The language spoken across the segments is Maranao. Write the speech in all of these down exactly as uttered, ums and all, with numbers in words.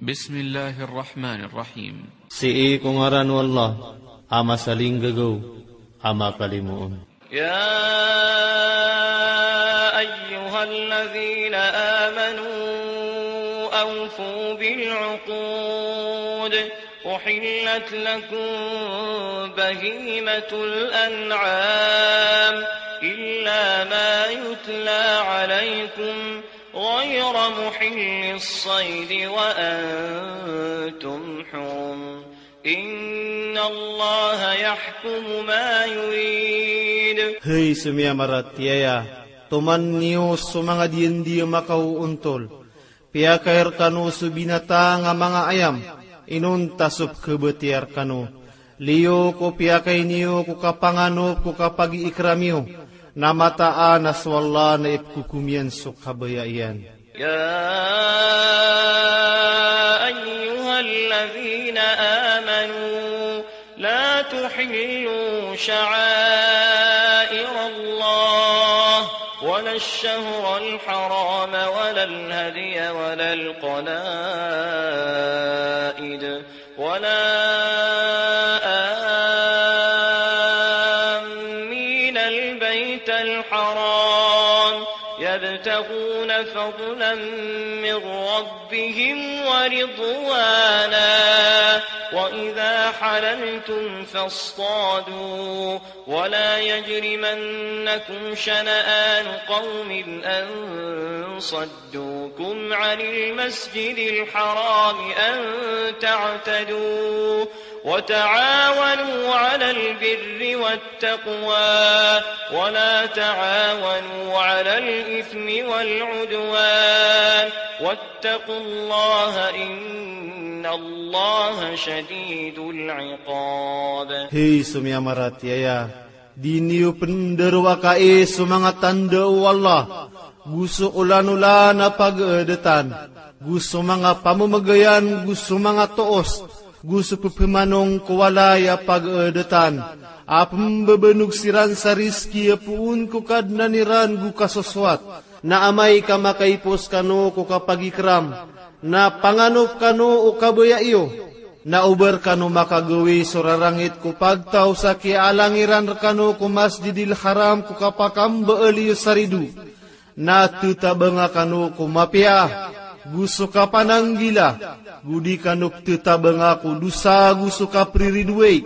Bismillahir Rahmanir Rahim. Sii ko ngaran o Allah, a masalinggagaw, a makalimoon. يا أيها الذين آمنوا أوفوا بالعقود. أحلت لكم بهيمة الأنعام إلا ما يتلى عليكم غير محل الصيد وأنتم حرم. إن الله يحكم ما يريد. Hay so miyamaratiyaya, toman niyo so manga diyandiya makaoontol. Piyakay rkano so binatang a manga ayam, inonta so pkhabatiya rkano. Liyo ko piyakay niyo ko kapanganop ko kapagiikram iyo, na mataan a so Allah na ipkhokom iyan so kabaya iyan. يا أيها الذين آمنوا لا تحلوا شعائر الله ولا الشهر الحرام ولا الهدي ولا القلائد ولا آمين البيت الحرام يبتغون فضلا من ربهم ورضوانا وإذا حللتم فاصطادوا ولا يجرمنكم شنآن قوم أن صدوكم عن المسجد الحرام أن تعتدوا وتعاونوا على البر والتقوى ولا تعاونوا على الإثم والعدوان واتقوا الله إن الله شديد العقاب. Hay so miyamaratiyaya, di niyo pndarowakay so manga tanda o Allah, go so olanolan a pagaadatan, go so manga pamamagayan, go so manga toos, go so pphamanong ko walay a pagaadatan, a pmbabanog siran sa rizki a poon ko Kadnan iran go kasosowat. Na amay ka makaipos kano ko kapagikram, na panganop kano o kabaya iyo, na oba rkano makagawii so rarangit ko pagtaw sa kiyaalang iran rkano ko Masjidil Haram ko kapakambaal iyo sa rido. Na ttabanga kano ko mapiya, go so kapananggila, go di kano pttabanga ko dosa go so kapriridowai,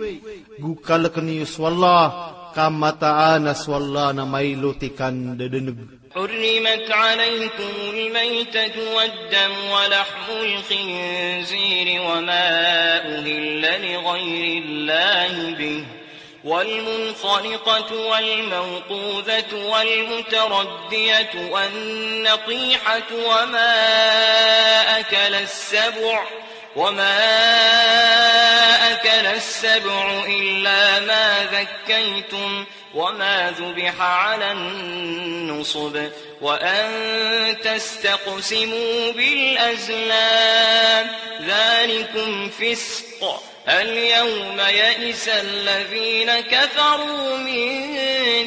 go kalkn iyo so Allah, ka mataan a so Allah na mailot i kandadaneg. حرمت عليكم الميتة والدم ولحم الخنزير وما أهل لغير الله به والمنخنقة والموقوذة والمتردية والنطيحة وما أكل السبع، وما أكل السبع إلا ما ذكيتم، وما ذبح على النصب، وأن تستقسموا بالأزلام، ذلكم فسق. اليوم يئس الذين كفروا من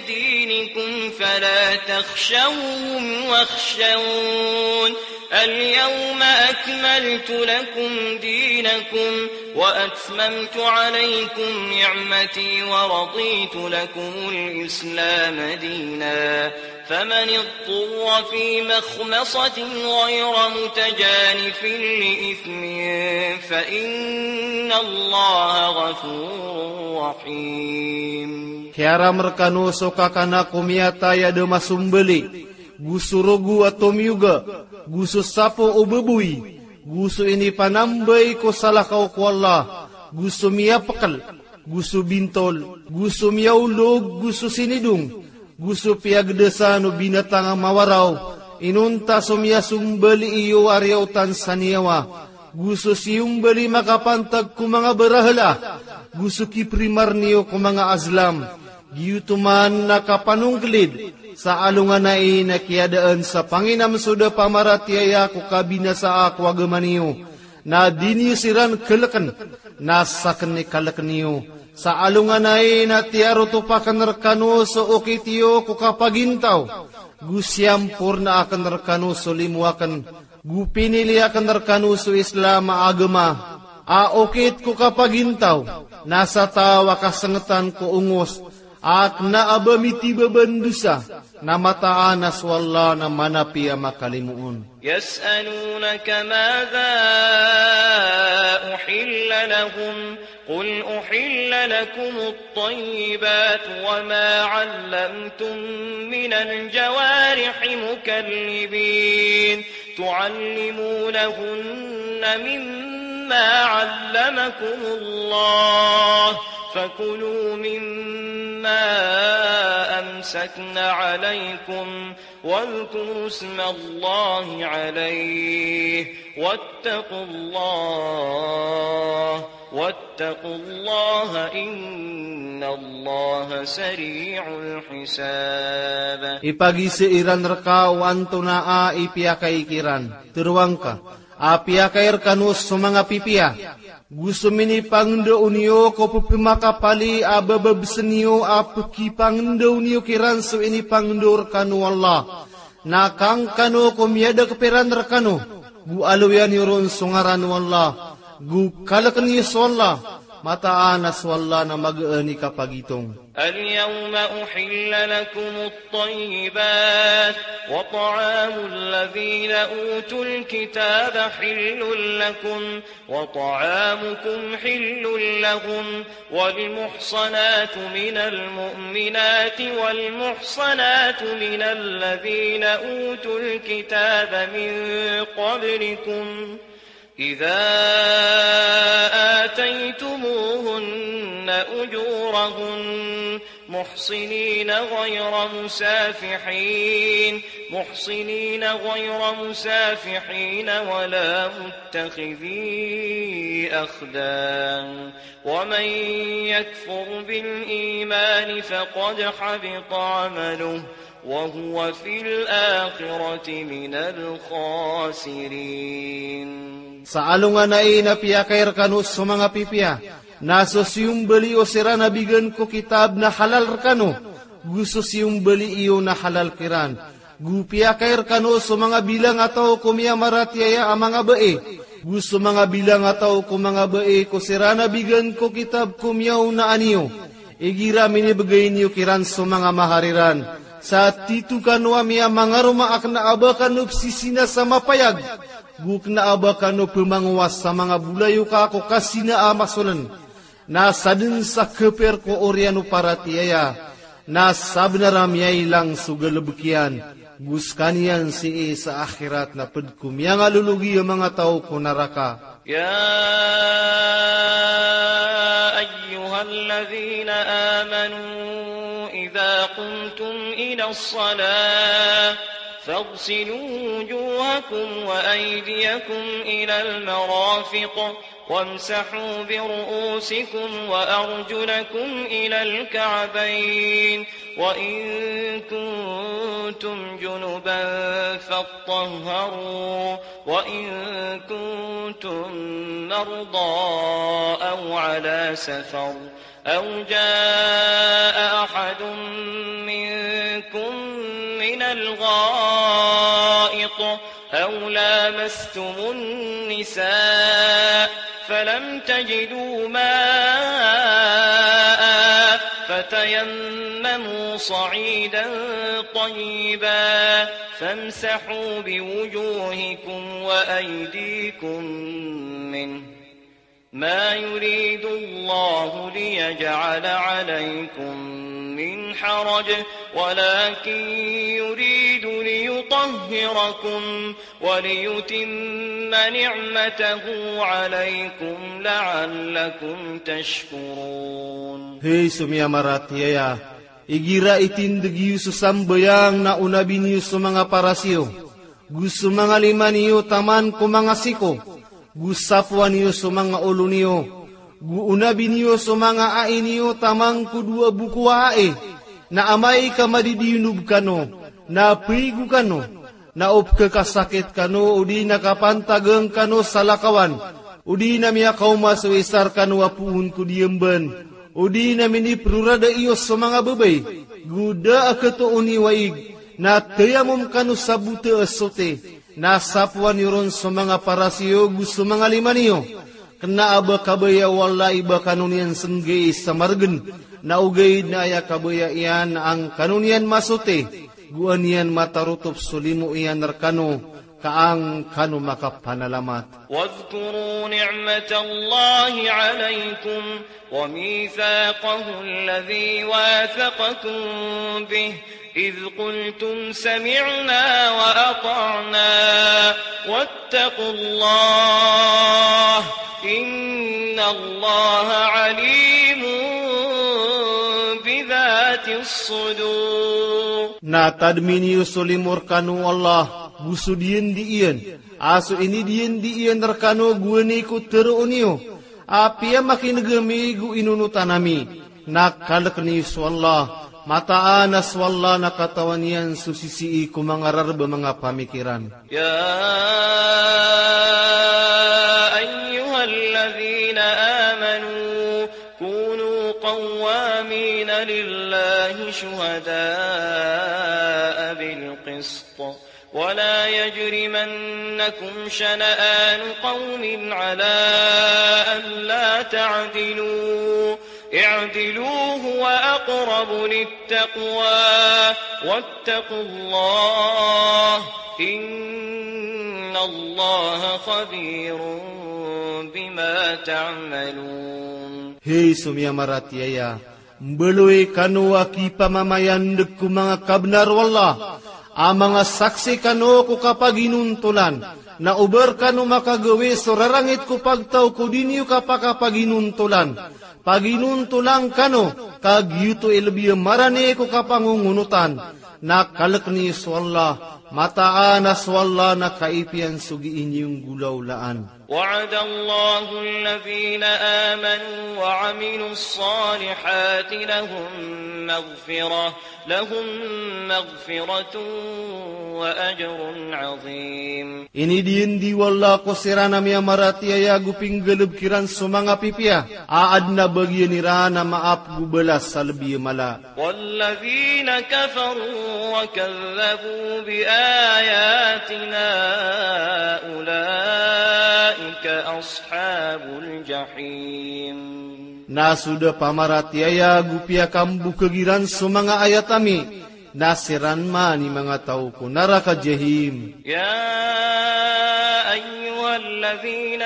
دينكم فلا تخشوهم واخشون. اليوم أكملت لكم دينكم وأتممت عليكم نعمتي ورضيت لكم الإسلام دينا. فمن اضطر في مخمصة غير متجانف لإثم فإن الله غفور رحيم. Kiyaram rkano so kakana ko miyatay a da masombali, go so rogo a tomiyoga, go so sapo o baboy, go so inipanambay ko salakaw ko Allah, go so miyapkl, go so bintol, go so miyaolog, go so sinidong, go so piyagdasan o binatang a mawaraw, inonta so miyasombali iyo a riyaotan sa niyawa, go so siyombali makapantag ko manga barahala, go so kiprimar niyo ko manga azlam, giyoto man na kapanongklid sa alonganay na kiyadaan sa panginam so da pamaratiyaya ko kabinasaa ko agama niyo. Na di niyo siran klkn, na sakn i kalkn iyo. Sa alonganay na tiyarotopa akn rkano so okit iyo ko kapagintaw, go siyamporna akn rkano so limo akn, Go pinili akn rkano so Islam a agama a okit ko kapagintaw, na sa taw a kasngtan ko ongos a kna a ba mitibaban dosa, na mataan a so Allah na manapi a makalimoon. يسألونك ماذا أحل لهم، قل أحل لكم الطيبات وما علمتم من الجوارح مكلبين تعلمونهن مما علمكم الله، فكلوا مما أمسكن عليكم، واذكروا اسم الله عليه، واتقوا الله، واتقوا الله، إن الله سريع الحساب. Ipagizaan iran rka o antonaa i piyakay kiran. Tharoang ka a piyakay rkano so manga pipiya, go so minipangndao niyo ko pphamakapali a bababsn iyo a pkipangndao niyo kiran so inipangndao rkano o Allah. Na kangkano ko miyadakp iran rkano, go aloya niyo ron so ngaran o Allah, go kalkn iyo so Allah, mataan a so Allah na magaan i kapagitong. اليوم أحل لكم الطيبات، وطعام الذين أوتوا الكتاب حل لكم، وطعامكم حل لهم، والمحصنات من المؤمنات والمحصنات من الذين أوتوا الكتاب من قبلكم، إذا آتيتموهن أجورهن محصنين غير مسافحين، محصنين غير مسافحين ولا متخذي أخدان، ومن يكفر بالإيمان فقد حبط عمله، وهو في الآخرة من الخاسرين. Sa alongan ai na piyakay rkano so manga pipiya, na so siyombali o siran a bigan ko kitab na halal rkano, go so siyombali iyo na halal kiran. Go piyakay rkano so manga bilang a taw ko miyamaratiyaya a manga bai, go so manga bilang a taw ko manga bai ko siran a bigan ko kitab ko miyaonaan iyo. Igira minibgay niyo kiran so manga mahar iran, sa tito kano a miyamangaroma a kna a ba kano psisina sa mapayag, go kna a ba kano pmangowas sa manga bolayoka ko kasina a masoln. Na sadn sa kapir ko oriyan o paratiyaya, na sabnar a miyailang so galbk iyan, go skaniyan sii sa akhirat na pd ko miyangalologi a manga taw ko naraka. يا أيها الذين آمنوا إذا قمتم إلى الصلاة فاغسلوا وجوهكم وأيديكم إلى المرافق وامسحوا برؤوسكم وأرجلكم إلى الكعبين، وإن كنتم جنبا فاطهروا، وإن كنتم مرضى أو على سفر أو جاء أحد منكم من الغائط أو لامستم النساء فلم تجدوا ماء فتيمموا صعيدا طيبا فامسحوا بوجوهكم وأيديكم منه، ما يريد الله ليجعل عليكم من حرج ولكن يريد ليطهركم وليتم نعمته عليكم لعلكم تشكرون. Hay so miyamaratiyaya, igira itindg iyo so sambayang na onabi niyo so manga paras iyo, go so manga lima niyo taman ko manga siko, go sapoan iyo so manga olo niyo, go onabi niyo so manga ai niyo taman ko dowa boko a ai, na amay ka madidiyonob kano, na paigo kano, na o pkhakasakit kano, odi na kapantagn kano sa lakawan, odi na miyakaoma so isa rkano a poon ko diyambn, odi na miniprorada iyo so manga babay, go da a khatoon i waig, na tayamom kano sa bota a sote, Na sapoan iyo ron so manga paras iyo go so manga lima niyo. Kena a ba kabaya o Allah i ba kano niyan senggai sa maregen. Na ogaid na aya kabaya iyan na an kano niyan masoti, go an iyan matarotop so limo iyan rekano, ka an kano makapanalamat. واذكروا نعمة الله عليكم وميثاقه الذي واثقكم به إذ قلتم سمعنا وأطعنا واتقوا الله إن الله عليم بذات الصدور. Na tadmi niyo so limo rekano o Allah, go so diyendi iyan, a so inidiyendi iyan rekano gowani ko teroon iyo, a piyamakineg ami go inonotan ami. Na kalek niyo so Allah, mataan a so Allah na katawan iyan so sisii ko manga rareb a manga pamikiran. يا أيها الذين آمنوا كونوا قوامين لله شهداء بالقسط ولا يجرمنكم شنآن قوم على ألا تعدلوا اعدلوا هو أقرب للتقوى واتقوا الله إن الله خبير بما تعملون. Hay so miyamaratiyaya, mbaloy kano a kipamamayandeg ko manga kabenar o Allah, a manga saksi kano ko kapaginontolan, na oba rekano makagawi so rarangit ko pagtaw ko di niyo kapakapaginontolan. Paginontolan kano, ka giyoto i lebi a marani ko kapangongonotan. Na kalek niyo so Allah, mataan a so Allah na kaipiyan so gii niyo nggolawlaan. وعد الله الذين آمنوا وعملوا الصالحات لهم مغفرة لهم مغفرة وأجر عظيم. Inidiyendi o Allah ko siran a miyamaratiyaya go pinggalebek iran so manga pipiya, a aden a bagian iran a maap go balas a lebi a mala. والذين كفروا وكذبوا بآياتنا أولئك أصحاب الجحيم. Na so da pamaratiyaya go piyakambokeg iran so manga ayat ami, na siran man i manga taw ko naraka Jahim. يا أيها الذين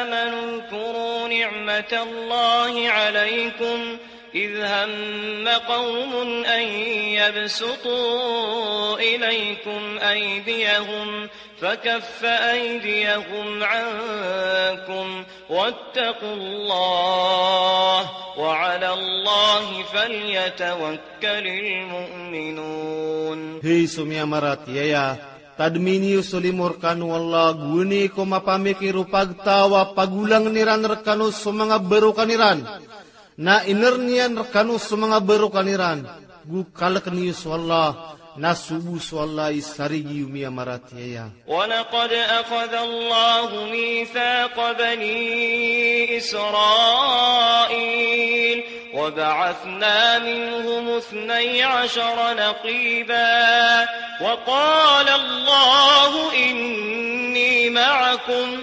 آمنوا اذكروا نعمة الله عليكم إذ هم قوم أن يبسطوا إليكم أيديهم فكف أيديهم عنكم واتقوا الله وعلى الله فليتوكل المؤمنون. Hay so miyamaratiyaya, tadmi niyo so limo rekano o Allah, gowani ko mapamikir o pagtaw a pagolangen iran rekano so manga barokan iran. Na iner niyan rekano so manga barokan iran, go kalek niyo so Allah, na sobo so Allah i sarigi o miyamaratiyaya. ولقد أخذ الله ميثاق بني إسرائيل وبعثنا منهم اثني عشر نقيبا وقال الله إني معكم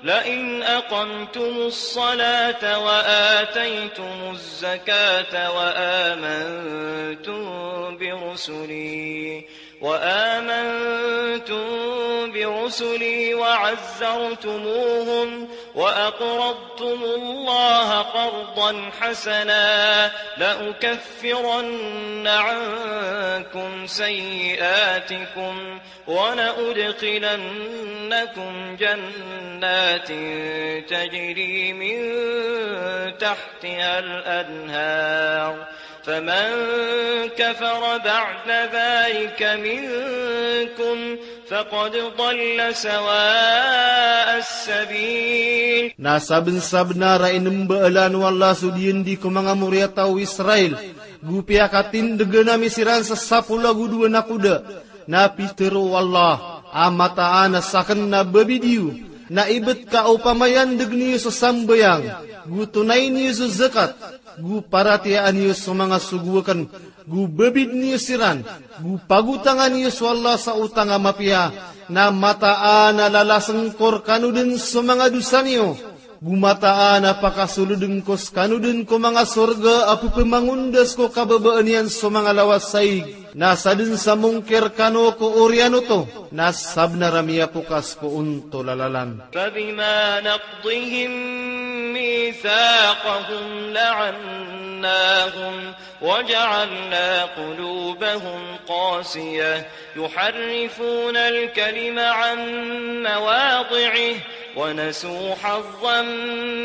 لئن أقمتم الصلاة وآتيتم الزكاة وآمنتم برسلي وآمنتم برسلي وعزرتموهم وأقرضتم الله قرضا حسنا لأكفرن عنكم سيئاتكم ولأدخلنكم جنات تجري من تحتها الأنهار فمن كفر بعد ذلك منكم فقد ضل سواء السبيل. Na sabensabenar a inembaalan o Allah so diyendi ko manga moriyataw o Israel, go piyakatindegen ami siran sa sapolo ago dowa nakoda. Na pitero o Allah a mataan a saken na babidiyo, na ibet ka opama iyan degen iyo so sambayang, go tonay niyo so zakat, go paratiyayaan iyo so manga sogo akn, go babid niyo siran, go pagotangan iyo so Allah sa otang a mapiya, na mataan a lalasn ko rkano dn so manga dosa niyo, go mataan a pakasolodn ko skano dn ko manga sorga a pphamangondas ko kababaan iyan so manga lawas saig, na sadn sa mongkir kano ko oriyan oto, na sabnar a miyapokas ko ontol a lalan. فبما نقضهم ميثاقهم لعناهم وجعلنا قلوبهم قاسية يحرفون الكلم عن مواضعه ونسوا حظا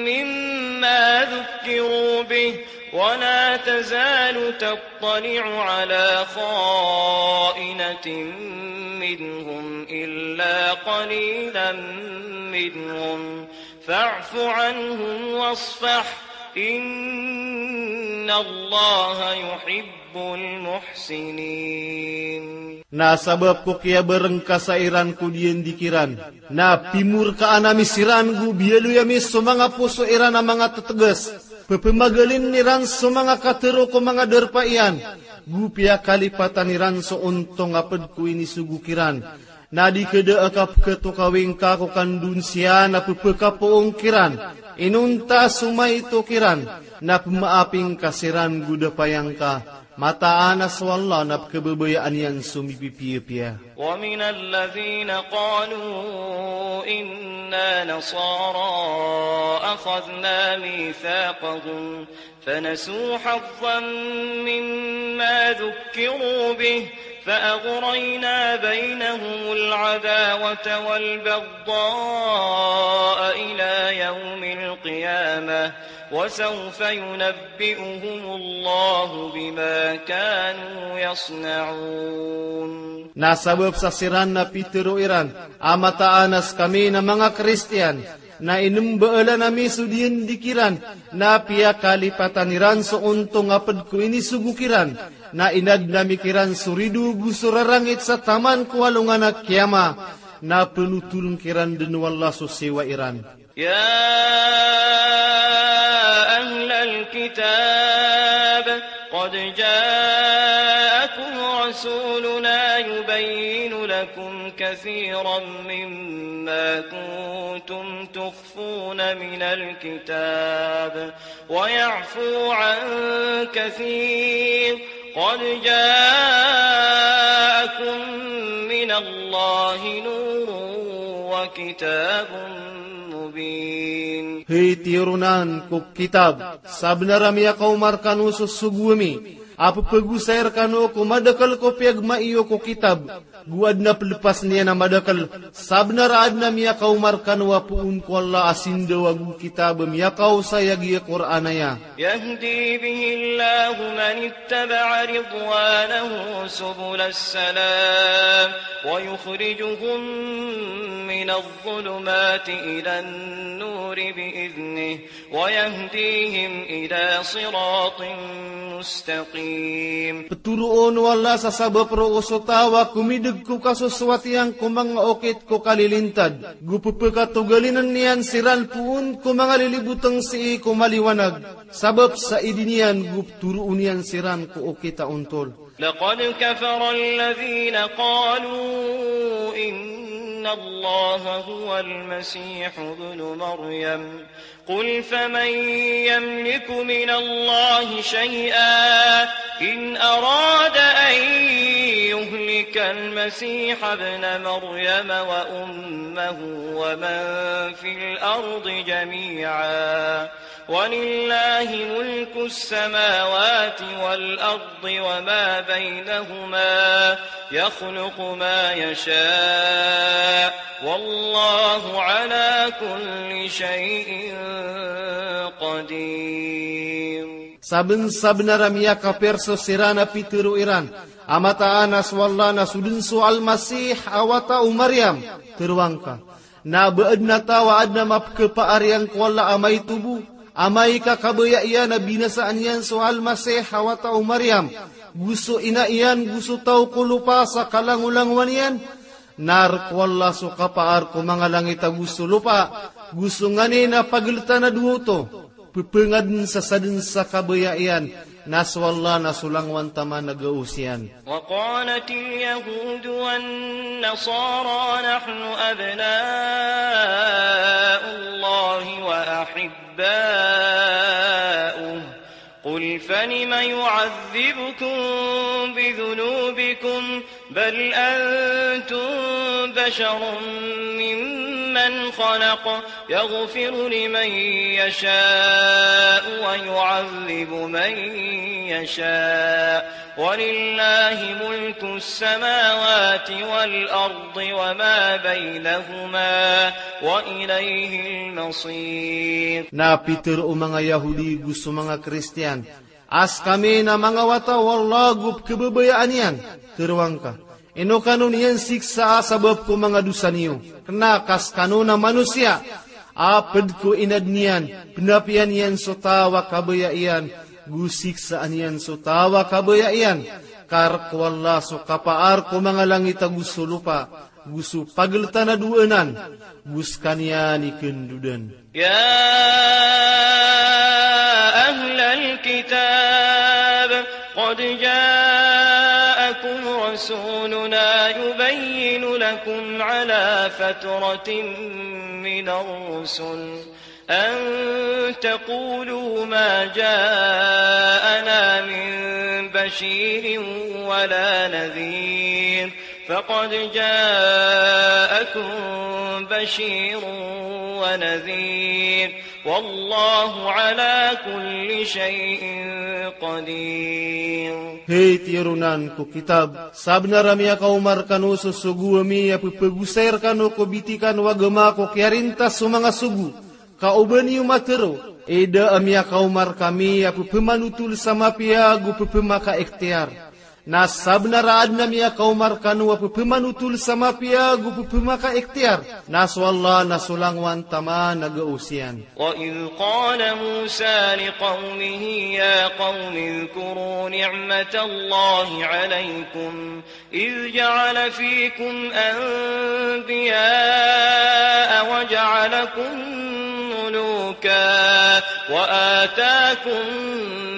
مما ذكروا به ولا تزال تطلع على خائنة منهم إلا قليلا منهم فاعف عنهم واصفح إن الله يحب المحسنين. Na sabap ko kiyabarngkasa iran ko diyandi kiran, na pimorkaan ami siran go biyaloy ami so manga poso iran a manga ttgas. Ppmagalin iran so manga katharo ko manga darpa iyan, go piyakalipatan iran so ontong a pd ko inisogo kiran. Na di ka da a kapkhatokawi ngka ko kandonsiya na pphakapoon kiran. Inonta so maito kiran, na pmaapin ka siran go da payangka. Mataan a so Allah na pkhababayaan iyan so mipipiyapiya. ومن الذين قالوا إنا نصارى أخذنا ميثاقهم فنسوا حظا مما ذكروا به فأغرينا بينهم العداوة والبغضاء إلى يوم القيامة وسوف ينبئهم الله بما كانوا يصنعون. Na sabap sa siran na pitharo iran a mataan a skami na manga Kristiyan, na inmbaalan ami so diyandi kiran, na piyakalipatan iran so ontong a pd ko inisogo kiran, na inadn ami kiran so rido go so rarangit sa taman ko alongan a kiyama, na pnotoln kiran dn o Allah so siyowa iran. يا أهل الكتاب قد جاءكم رسولنا يبين لكم كثيرا مما كنتم تخفون من الكتاب ويعفو عن كثير قد جاءكم من الله نور وكتاب مبين. Hay tiyaronan ko kitab, sabnar a miyakaoma rkano so sogo ami a pphagosay rkano ko madakl ko piyagmaiyo ko kitab, go adn a plpas niyan a madakl, sabnar a adn a miyakaoma rkano a poon ko Allah a sindawa go kitab a miyakaosay a giya Qur'an aya. يهدي به الله من اتبع رضوانه سبل السلام ويخرجهم من الظلمات إلى النور بإذنه ويهديهم إلى صراط مستقيم. Ptoroon o Allah sa sabap roo so taw a komidg ko kasosowat iyan ko manga okit ko kalilintad, go pphakatogalinn iyan siran poon ko manga lilibotng sii ko maliwanag, sabap sa idin iyan go ptoroon iyan siran ko okit a ontol. لقد كفر الذين قالوا إن الله هو المسيح ابن مريم قل فمن يملك من الله شيئا إن أراد أن يهلك المسيح ابن مريم وأمه ومن في الأرض جميعا ولله ملك السماوات والأرض وما بينهما يخلق ما يشاء والله على كل شيء قدير. Sabnsabnar a miyakapir so siran a pitharo iran a mataan a so Allah na so dn so Al-Masih a wata o Maryam. Tharoa ngka, na ba adn a taw a adn a mapkhapaar iyan ko Allah a maito bo, amay ka kabaya iyan a binasaan iyan so Al-Masih a wata o Maryam, go so ina iyan, go so taw ko lopa sa kalangolangowan iyan? Nar ko Allah so kapaar ko manga langit ago so lopa, go so nganin a pagltan a dowa oto. Pepengad sa sadn sa kabaya iyan, na so Allah na so langowan taman a gaos iyan. وقالت اليهود والنصارى نحن أبناء الله وأحباؤه، قل فلم يعذبكم بذنوبكم، بل أنتم بشر ممن خلق، يغفر لمن يشاء ويعذب من يشاء، ولله ملك السماوات والأرض وما بينهما، وإليه المصير. Na pitharo o manga Yahudi go so manga Kristiyan, a skami na manga wata o Allah go pkhababayaan iyan. Tharoa ngka, ino kano niyan siksaa sabap ko manga dosa niyo? Kna ka skano na manosiya a pd ko inadn iyan, pnapiya niyan so taw a kabaya iyan, go siksaan iyan so taw a kabaya iyan. Ka rk o Allah so kapaar ko manga langit ago so lopa, go so pagltan a dowa anan, go skaniyan i khandodan. يا أهل الكتاب قد جاءكم رسولنا يبين لكم على فترة من الرسل أن تقولوا ما جاءنا من بشير ولا نذير، فقد جاءكم بشير ونذير، والله على كل شيء قدير. Hay tiyaronan ko kitab, sabnar a miyakaoma rkano so sogo ami a pphagosay rkano ko bitikan o agama ko kiyarintas o manga sogo. Ka oba niyo matharo, ida a miyakaoma rkami a pphmanotol sa mapiya ago pphmakaikhtiyar. Na sabnar a adn a miyakaoma rkano a pphmanotol sa mapiya ago pphmakaikhtiyar, na so Allah na so langowan taman a gaos iyan. وإذ قال موسى لقومه يا قوم اذكروا نعمة الله عليكم إذ جعل فيكم أنبياء وجعلكم ملوكا وآتاكم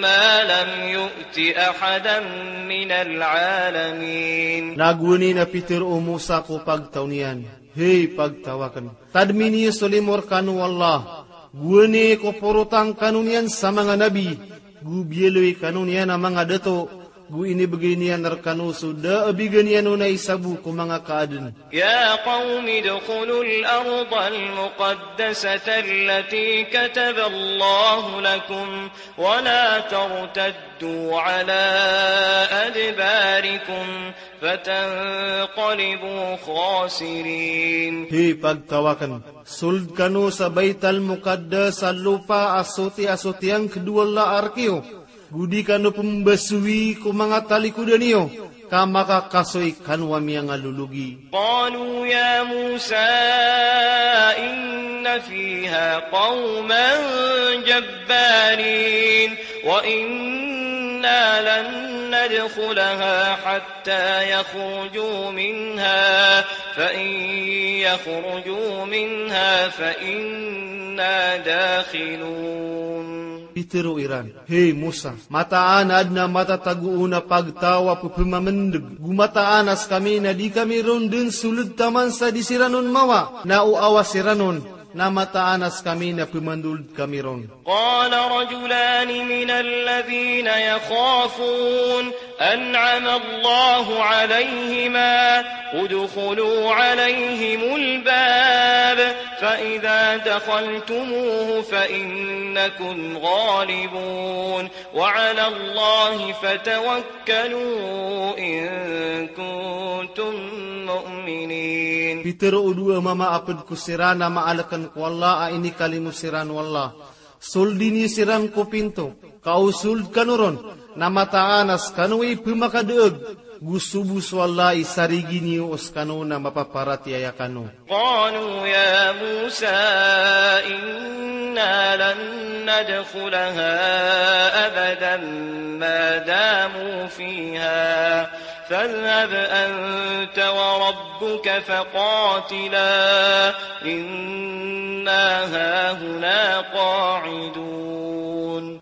ما لم يؤت أحدا من العالمين. Na gowani na pitharo o Musa ko pagtaw niyan, hay pagtaw akn, tadmi niyo so limo rkano o Allah, gowani ko porotang kano niyan sa manga nabi, go biyaloy kano niyan a manga dato, go inibgay niyan rkano so da a bigan iyan on a isa bo ko manga kaadn. يا قوم ادخلوا الأرض المقدسة التي كتب الله لكم ولا ترتدوا على أدباركم فتنقلبوا خاسرين. Hay pagtaw akn, sold kano sa Baital Muqaddas a lopa a soti a sotiyangkd o Allah a rk iyo, go di kano pmbasowi ko manga talikodan iyo, ka makakasoy kano a miyangalologi. قالوا يا موسى إن فيها قوما جبارين وإنا لن ندخلها حتى يخرجوا منها فإن يخرجوا منها فإنا داخلون. Pitharo iran, hay Musa, mataan a adn a matatago on a pagtaw a pphmamndg, go mataan a skami na di kami ron dn sold taman sa di siran on mawa, na o awa siran on, na mataan a skami na pmandold kami ron. قال رجلان من الذين يخافون أنعم الله عليهما ادخلوا عليهم الباب فإذا دخلتموه فإنكم غالبون وعلى الله فتوكلوا إن كنتم مؤمنين. Pitharo o dowa a mama a pd ko siran a maalkn ko Allah a inikalimo siran o Allah. Soldi niyo siran ko pinto, ka o sold kano ron, na mataan a skano i pmakadaag, go so bo so Allah i sarigi niyo o skano na mapaparatiyaya kano. قالوا يا موسى إنا لن ندخلها أبدا ما داموا فيها فاذهب أنت وربك فقاتلا إنا هاهنا قاعدون.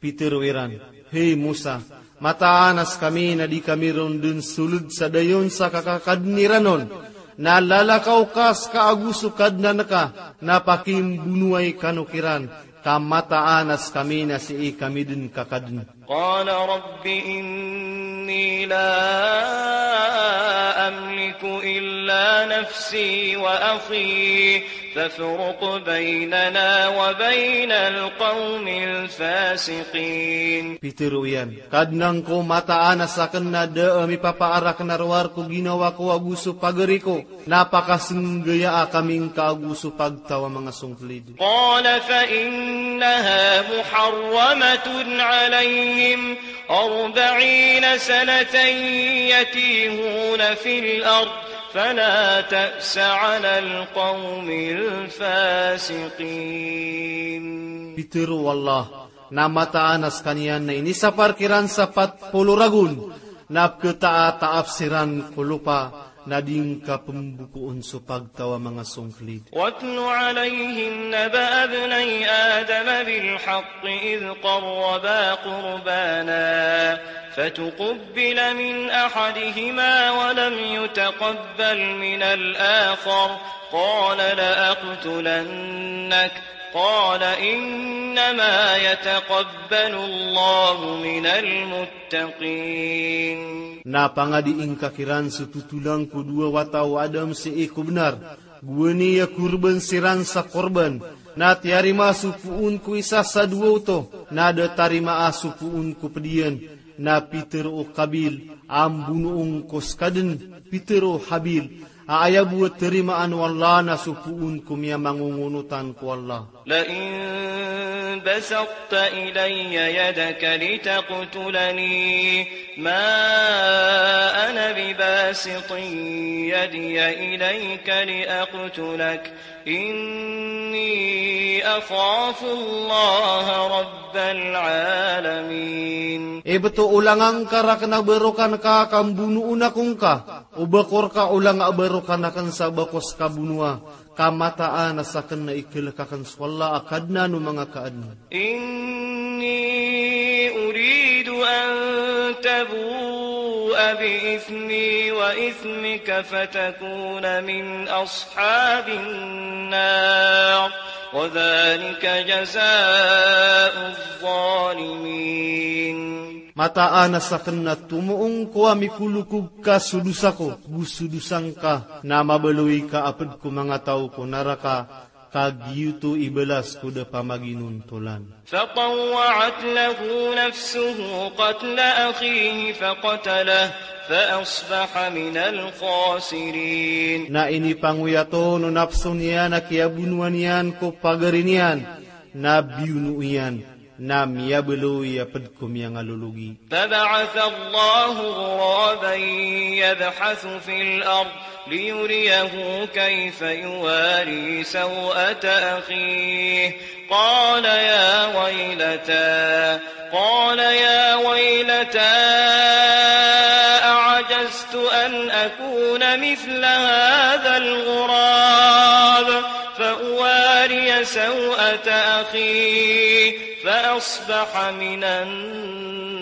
Pitharo iran, "Hay Musa, mataan a skami na di kami ron dn sold sa dayon sa kakakadn iran on. Na lalakaw ka ska ago so Kadnan ka, na pakimbonowai kano kiran, ka mataan a skami na sii kami dn kakadn." قال رب إني لا أملك إلا نفسي وأخي فافرق بيننا وبين القوم الفاسقين. Pitharo iyan, "Kadnan ko, mataan a sakn na da a mipapaarak na rowar ko ginawa ko ago so pagari ko, na pakasnggayaa kami ngka ago so pagtaw a manga songklid." قال فإنها محرمة عليهم أربعين سنة يتيهون في الأرض فلا تأس على القوم الفاسقين. Pitharo o Allah, na mataan a skaniyan na inisapar kiran sa pat polo ragon, na pkhataataap siran ko lopa, na di ngka pmbokoon so pagtaw a manga songklid. واتل عليهم نبأ ابني آدم بالحق إذ قربا قربانا فتقبل من أحدهما ولم يتقبل من الآخر قال لأقتلنك قال إنما يتقبل الله من المتقين. Na pangadii ngka kiran so totolan ko dowa wata o Adam sii ko bnar, gowani a korban siran sa korban, na tiyarima so poon ko isa sa dowa oto, na da tarimaa so poon ko pd iyan, na pitharo o Qabil a mbonoon ko ska dn, pitharo o Habil a aya bo a tarimaan o Allah na so poon ko miyamangongonotan ko Allah. لئن بسطت إلي يدك لتقتلني ما أنا بباسط يدي إليك لأقتلك إني أخاف الله رب العالمين. Ibt o olanga ngka rakn a barokan ka, ka mbonoon ako ngka, o ba ko rka olanga a barokan akn sa ba ko ska bonoa, ka mataan a sakn na ikalk akn so Allah a Kadnan o manga kaadn. إني أريد أن تبوء بإثمي وإثمك فتكون من أصحاب النار وذلك جزاء الظالمين. Mataan a sakn na tomoong ko a mikolokog ka so dosa ko, go so dosa ngka, na mabaloy ka a pd ko manga taw ko naraka, ka giyoto i balas ko da pamaginontolan. فطوعت له نفسه قتل أخيه فقتله فأصبح من الخاسرين. Na inipangoyat on o napso niyan a kiyabonoa niyan ko pagari niyan, na biyono iyan, na miyabaloy a pd ko miyangalologi. فبعث الله غرابا يبحث في الأرض ليريه كيف يواري سوءة أخيه قال يا ويلتى، قال يا ويلتى أعجزت أن أكون مثل هذا الغراب فأواري سوءة أخي فأصبح من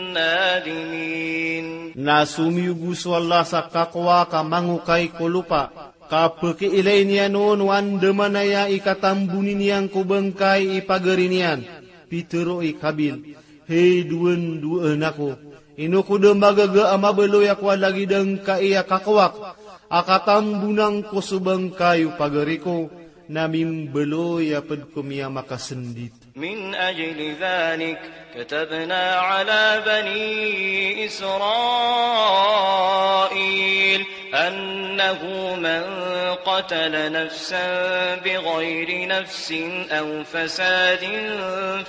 النادمين. Na somiyogo so Allah sa kakowak a mangokay ko lopa, ka pkiilay niyan on o andamanaya i katamboni niyan ko bangkay i pagari niyan. Pitharo i Qabil, "Hay dowan-dowaan ako, ino ko da magaga a mabaloy ako a lagid angkai a kakowak a katambona ngko so bangkay o pagari ko, na mimbaloy a pd ko miyamakasndit." من أجل ذلك كتبنا على بني إسرائيل أنه من قتل نفسا بغير نفس أو فساد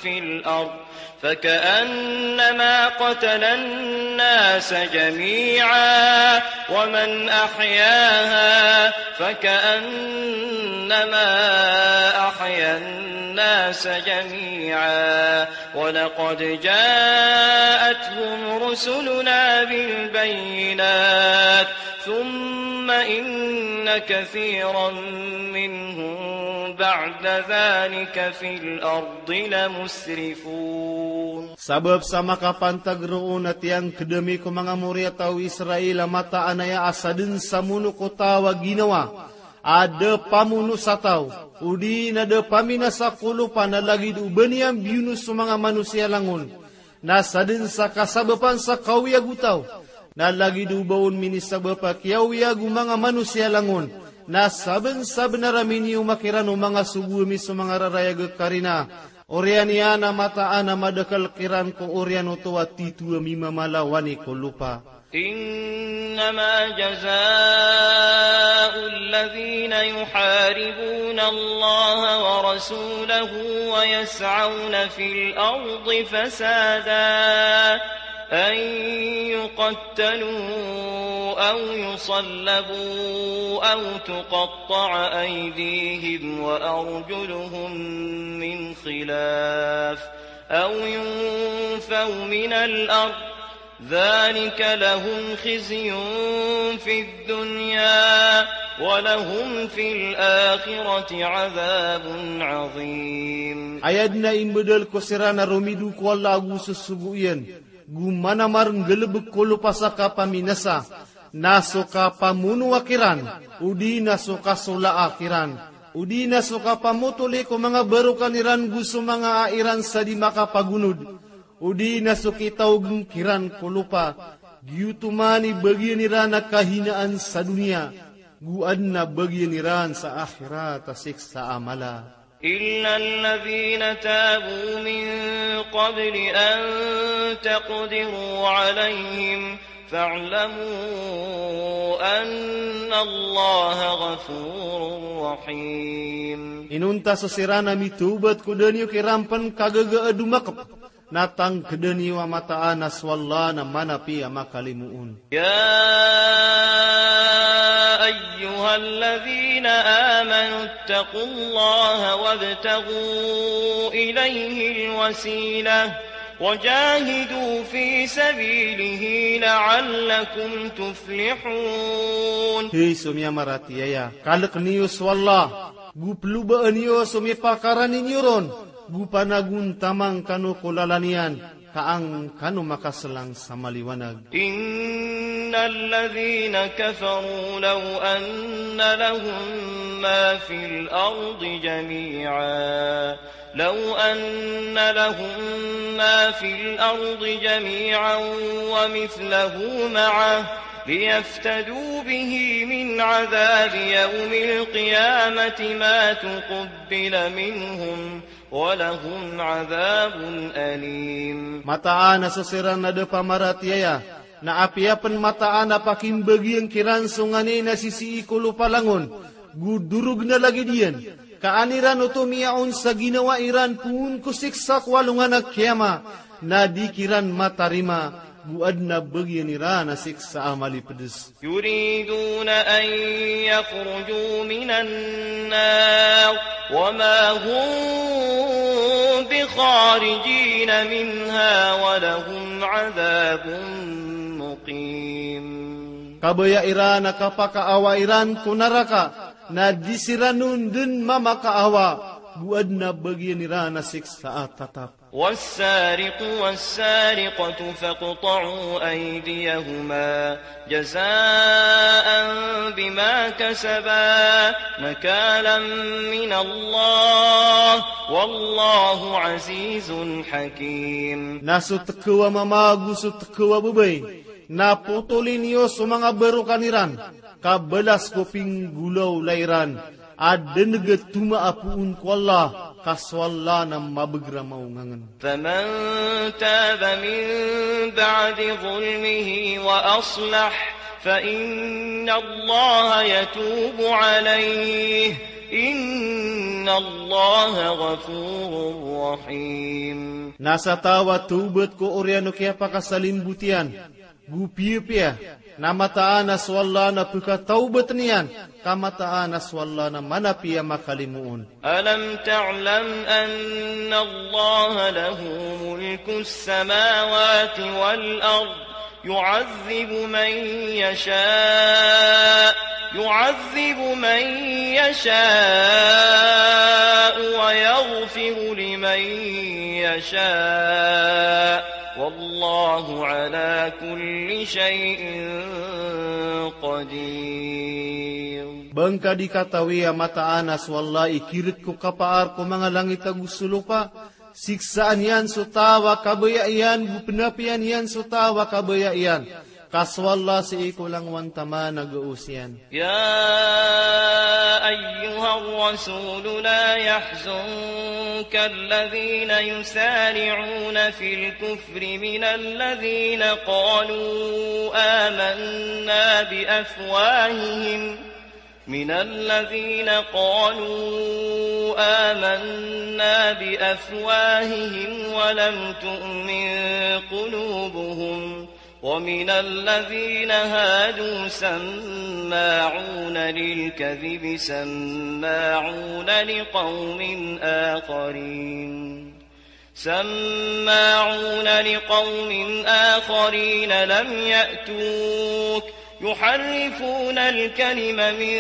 في الأرض فكأنما قتل الناس جميعا ومن أحياها فكأنما أحيا الناس جميعا ولقد جاءتهم رسلنا بالبينات ثم إن كثيرا منهم بعد ذلك في الأرض لمسرفون. Sabap sa makapantag roo na tiyangkd ami ko manga moriyataw o Israel a mataan aya a sadn sa mono ko taw a ginawa a da pamono sa taw, odi na da paminasa ko lopa na lagid o ba niyan biyono so manga manosiya langon. Na sadn sa kasabapan sa kaoyag o taw, na lagid o ba on minisabap a kiyaoyag o manga manosiya langon, na sabnsabnar a minioma kiran o manga sogo ami so manga rarayag a karina. Oriyan iyan a mataan a madakl kiran ko oriyan oto a titho a mimamalawan i ko lopa. إنما جزاء الذين يحاربون الله ورسوله ويسعون في الأرض فسادا أن يقتلوا أو يصلبوا أو تقطع أيديهم وأرجلهم من خلاف أو ينفوا من الأرض ذلك لهم خزي في الدنيا ولهم في الآخرة عذاب عظيم. Aya dn a imbdal ko siran a romido ko Allah ago so sogo iyan, go manamar nggalbk ko lopa sa kapaminasa, na so kapamonoa kiran, odi na so kasolaa kiran, odi na so kapamotoli ko manga barokan iran go so manga a iran sa di makapagonod, odi na so kitaogn kiran ko lopa, giyoto man i bagian iran a kahinaan sa doniya, go adn a bagian iran sa akhirat a siksa a mala. إلا الذين تابوا من قبل أن تقدروا عليهم فاعلموا أن الله غفور رحيم. Inonta so siran a mitawbat ko da niyo kiran pn kagaga a domakp, na tangkda niyo a mataan a so Allah na manapi a makalimoon. يا أيها الذين آمنوا اتقوا الله وابتغوا إليه الوسيلة وجاهدوا في سبيله لعلكم تفلحون. Hay so miyamaratiyaya, kalk niyo so Allah, go plobaan iyo so mipakarani niyo ron, go panagontaman kano ko lalan iyan, ka an kano makaslang sa maliwanag. إن الذين كفروا لو أن لهم ما في الأرض جميعا لو أن لهم ما في الأرض جميعا ومثله معه ليفتدوا به من عذاب يوم القيامة ما تقبل منهم ولهم عذاب أليم. Mataan a so siran a da pamaratiyaya, na apiya pn mataan a pakimbagian kiran so nganin a sisii ko lopa langon, go dorogn a lagid iyan, ka an iran oto miyaon sa ginawa iran poon ko siksa ko alongan a kiyama, na di kiran matarima, go adn a bagian iran a siksa a malipds. يريدون أن يخرجوا من النار وما هم بخارجين منها ولهم عذاب مقيم. Kabaya iran a kapakaawa iran ko naraka, na di siran on dn mamakaawa, go adn a bagian iran a siksa a tatap. والسارق والسارقة فاقطعوا أيديهما جزاء بما كسبا نكالا من الله والله عزيز حكيم. Na so tkaw a mama ago so tkaw a babay, na potoli niyo so manga barokan iran, ka balas ko pinggolawla iran, a dn gtoma a poon ko Allah, ka so Allah na mabagr a maongangen. فمن تاب من بعد ظلمه وأصلح فإن الله يتوب عليه إن الله غفور رحيم. Na sa taw a tawbat ko oriyan o kiyapakasalimbot iyan, go piyapiya, na mataan a so Allah na pkatawbatn iyan, ka mataan a so Allah na manapi a makalimoon. ألم تعلم أن الله له ملك السماوات والأرض يعذب من يشاء يعذب من يشاء ويغفر لمن يشاء والله على كل شيء قدير. Ba ngka di katawi a mataan a so Allah i kirk ko kapaar ko manga langit ago so lopa, siksaan iyan so taw a kabaya iyan, go pnapiya niyan so taw a kabaya iyan. Ka so Allah sii ko langowan taman a gaos iyan. يا أيها الرسول لا يحزنك الذين يسارعون في الكفر من الذين قالوا آمنا بأفواههم من الذين قالوا آمنا بأفواههم ولم تؤمن قلوبهم ومن الذين هادوا سماعون للكذب سماعون لقوم آخرين سماعون لقوم آخرين لم يأتوك يحرفون الكلم من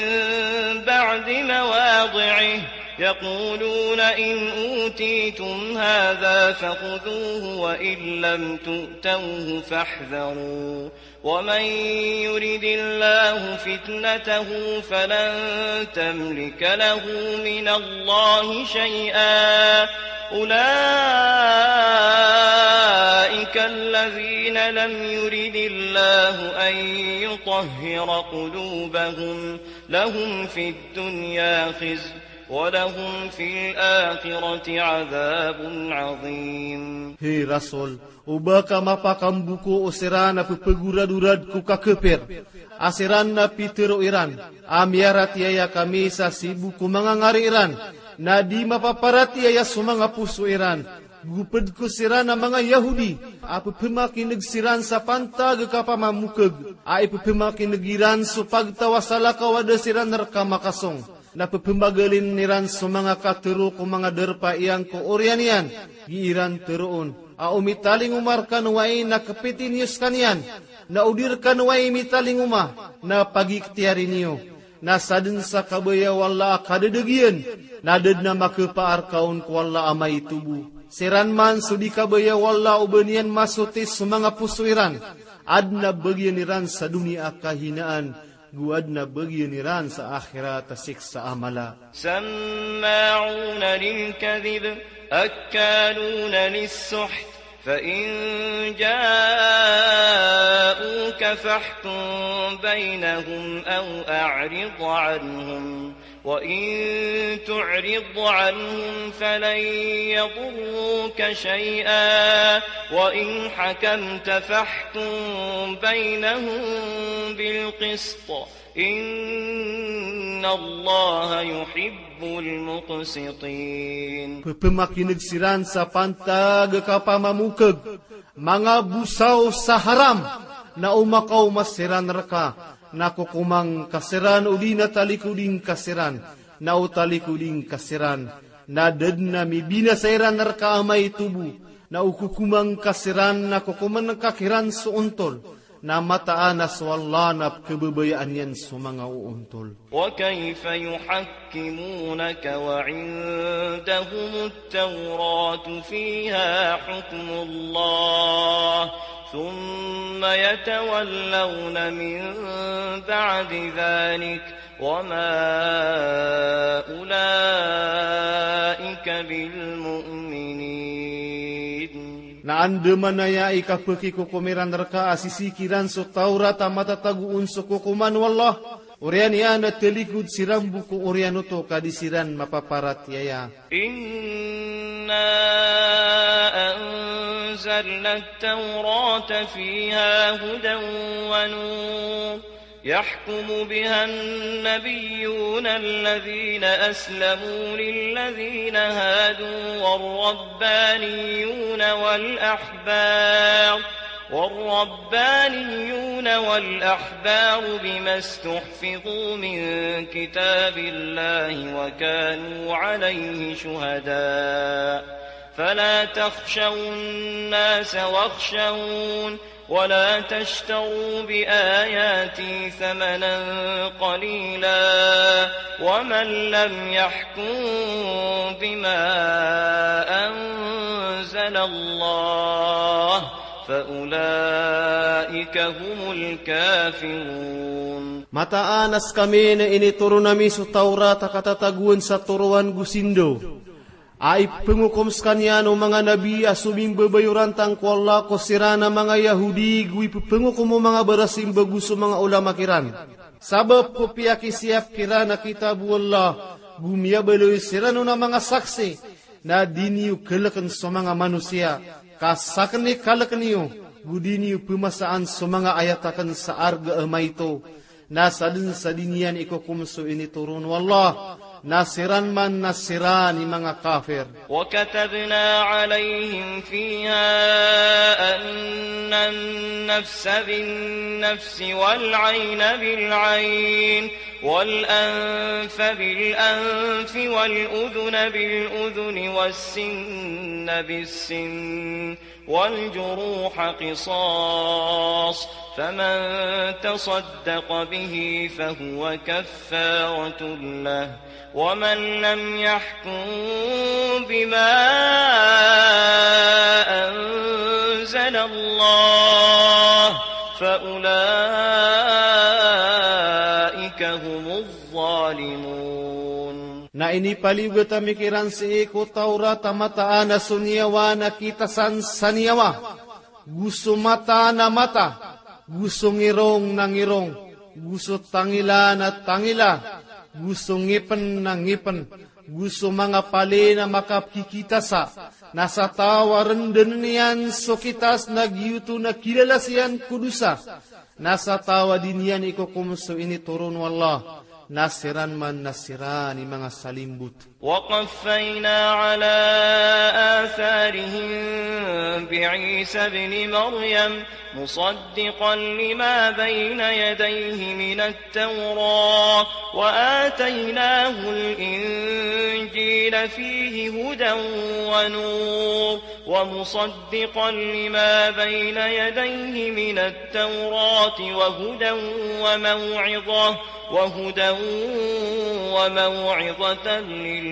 بعد مواضعه يقولون إن أوتيتم هذا فخذوه وإن لم تؤتوه فاحذروا ومن يرد الله فتنته فلن تملك له من الله شيئا أولئك الذين لم يرد الله أن يطهر قلوبهم لهم في الدنيا خزي ولهم في الآخرة عذاب عظيم. Hay Rasul, o ba ka mapakambuko o siran a pphagoradorad ko kakapir a siran na pitharo iran a miyaratiyaya kami sa sii bo ko manga ngari iran, na di mapaparatiyaya so manga poso iran. Go pd ko siran a manga Yahudi a pphamakin'g siran sa pantag a kapamamokg a ipphamakin'g iran so pagtaw a salakaw a da siran rka makasong. Na pphamagalin iran so manga katharo ko manga darpa iyan ko oriyan iyan, gii ran tharoon a o mitalingoma rkano ai na kpiti niyo skaniyan, na o di rkano ai mitalingoma na pagikhtiyari niyo. Na sadn sa kabaya o Allah a kadadagiyan, na da dn a makhapaar ka on ko Allah a maito bo. Siran man so di kabaya o Allah o ba niyan masotis so manga poso iran, adn a bagian iran sa doniya a kahinaan, go adn a bagian iran sa akhirat a siksa a mala. سماعون للكذب أكالون للسحت فإن جاءوك فاحكم بينهم أو أعرض عنهم وإن تعرض عنهم فلن يضروك شيئا وإن حكمت فاحكم بينهم بالقسط إن الله يحب المقسطين. Pphamakin'g siran sa pantag a kapamamokg, manga bosaw sa haram, na o makaoma siran rka, na kokoman ka siran odi na talikodin ka siran, na o talikodin ka siran, na da dn a mibinasa iran rka a maito bo, na o kokoman ka siran na kokoman ka kiran so ontol. Na mataan a so Allah na pkhababayaan iyan so manga oontol. وكيف يحكمونك وعندهم التوراة فيها حكم الله ثم يتولون من بعد ذلك وما أولئك بالمؤمنين. Na andamanaya i kapakikokom iran rka a sisii kiran so Tawrat a matatago on so kokoman o Allah, oriyan iyan a talikod siran bo ko oriyan oto ka di siran mapaparatiyaya. إنا أنزلنا التوراة فيها هدى ونور يحكم بها النبيون الذين أسلموا للذين هادوا والربانيون والأحبار والربانيون والأحبار بما استحفظوا من كتاب الله وكانوا عليه شهداء فلا تخشوا الناس واخشون ولا تشتروا بآياتي ثمنا قليلا ومن لم يحكم بما أنزل الله فأولئك هم الكافرون. Mataan a skami na initoron ami so Tawrat a katatagoan sa toroan go sindaw. A ipngokom skaniyan o manga nabi a somimbabayorantang ko Allah ko siran a manga Yahudi, go ipngokom o manga barasimba go so manga olama kiran. Sabap ko piyakisiyap kiran a kitab o Allah, go miyabaloy siran on a manga saksi, na di niyo kalkn so manga manosiya, ka sakn i kalk niyo, go di niyo pmasaan so manga ayat akn sa arga a maito. Na sadn sa di niyan ikokom so initoron o Allah, na siran man na siran i manga kafir. وكتبنا عليهم فيها أن النفس بالنفس والعين بالعين والأنف بالأنف والأذن بالأذن والسن بالسن والجروح قصاص، فمن تصدق به فهو كفارة له، ومن لم يحكم بما أنزل الله فأولئك هم الظالمون. Na inipaliyogat ami kiran sii ko Tawrat a mataan a so niyawa na kitasan sa niyawa, go so mata na mata, go so ngirong na ngirong, go so tangila na tangila, go so ngipn na ngipn, go so manga pali na makapkikitasa, na sa taw a rndn iyan so kitas na giyoto na kilalas iyan ko dosa. Na sa taw a di niyan ikokom so initoron o Allah, na siran man na siran i manga salimbot. وقفينا على آثارهم بعيسى ابن مريم مصدقا لما بين يديه من التوراة وآتيناه الإنجيل فيه هدى ونور ومصدقا لما بين يديه من التوراة وهدى وموعظة، وهدى وموعظة للمتقين.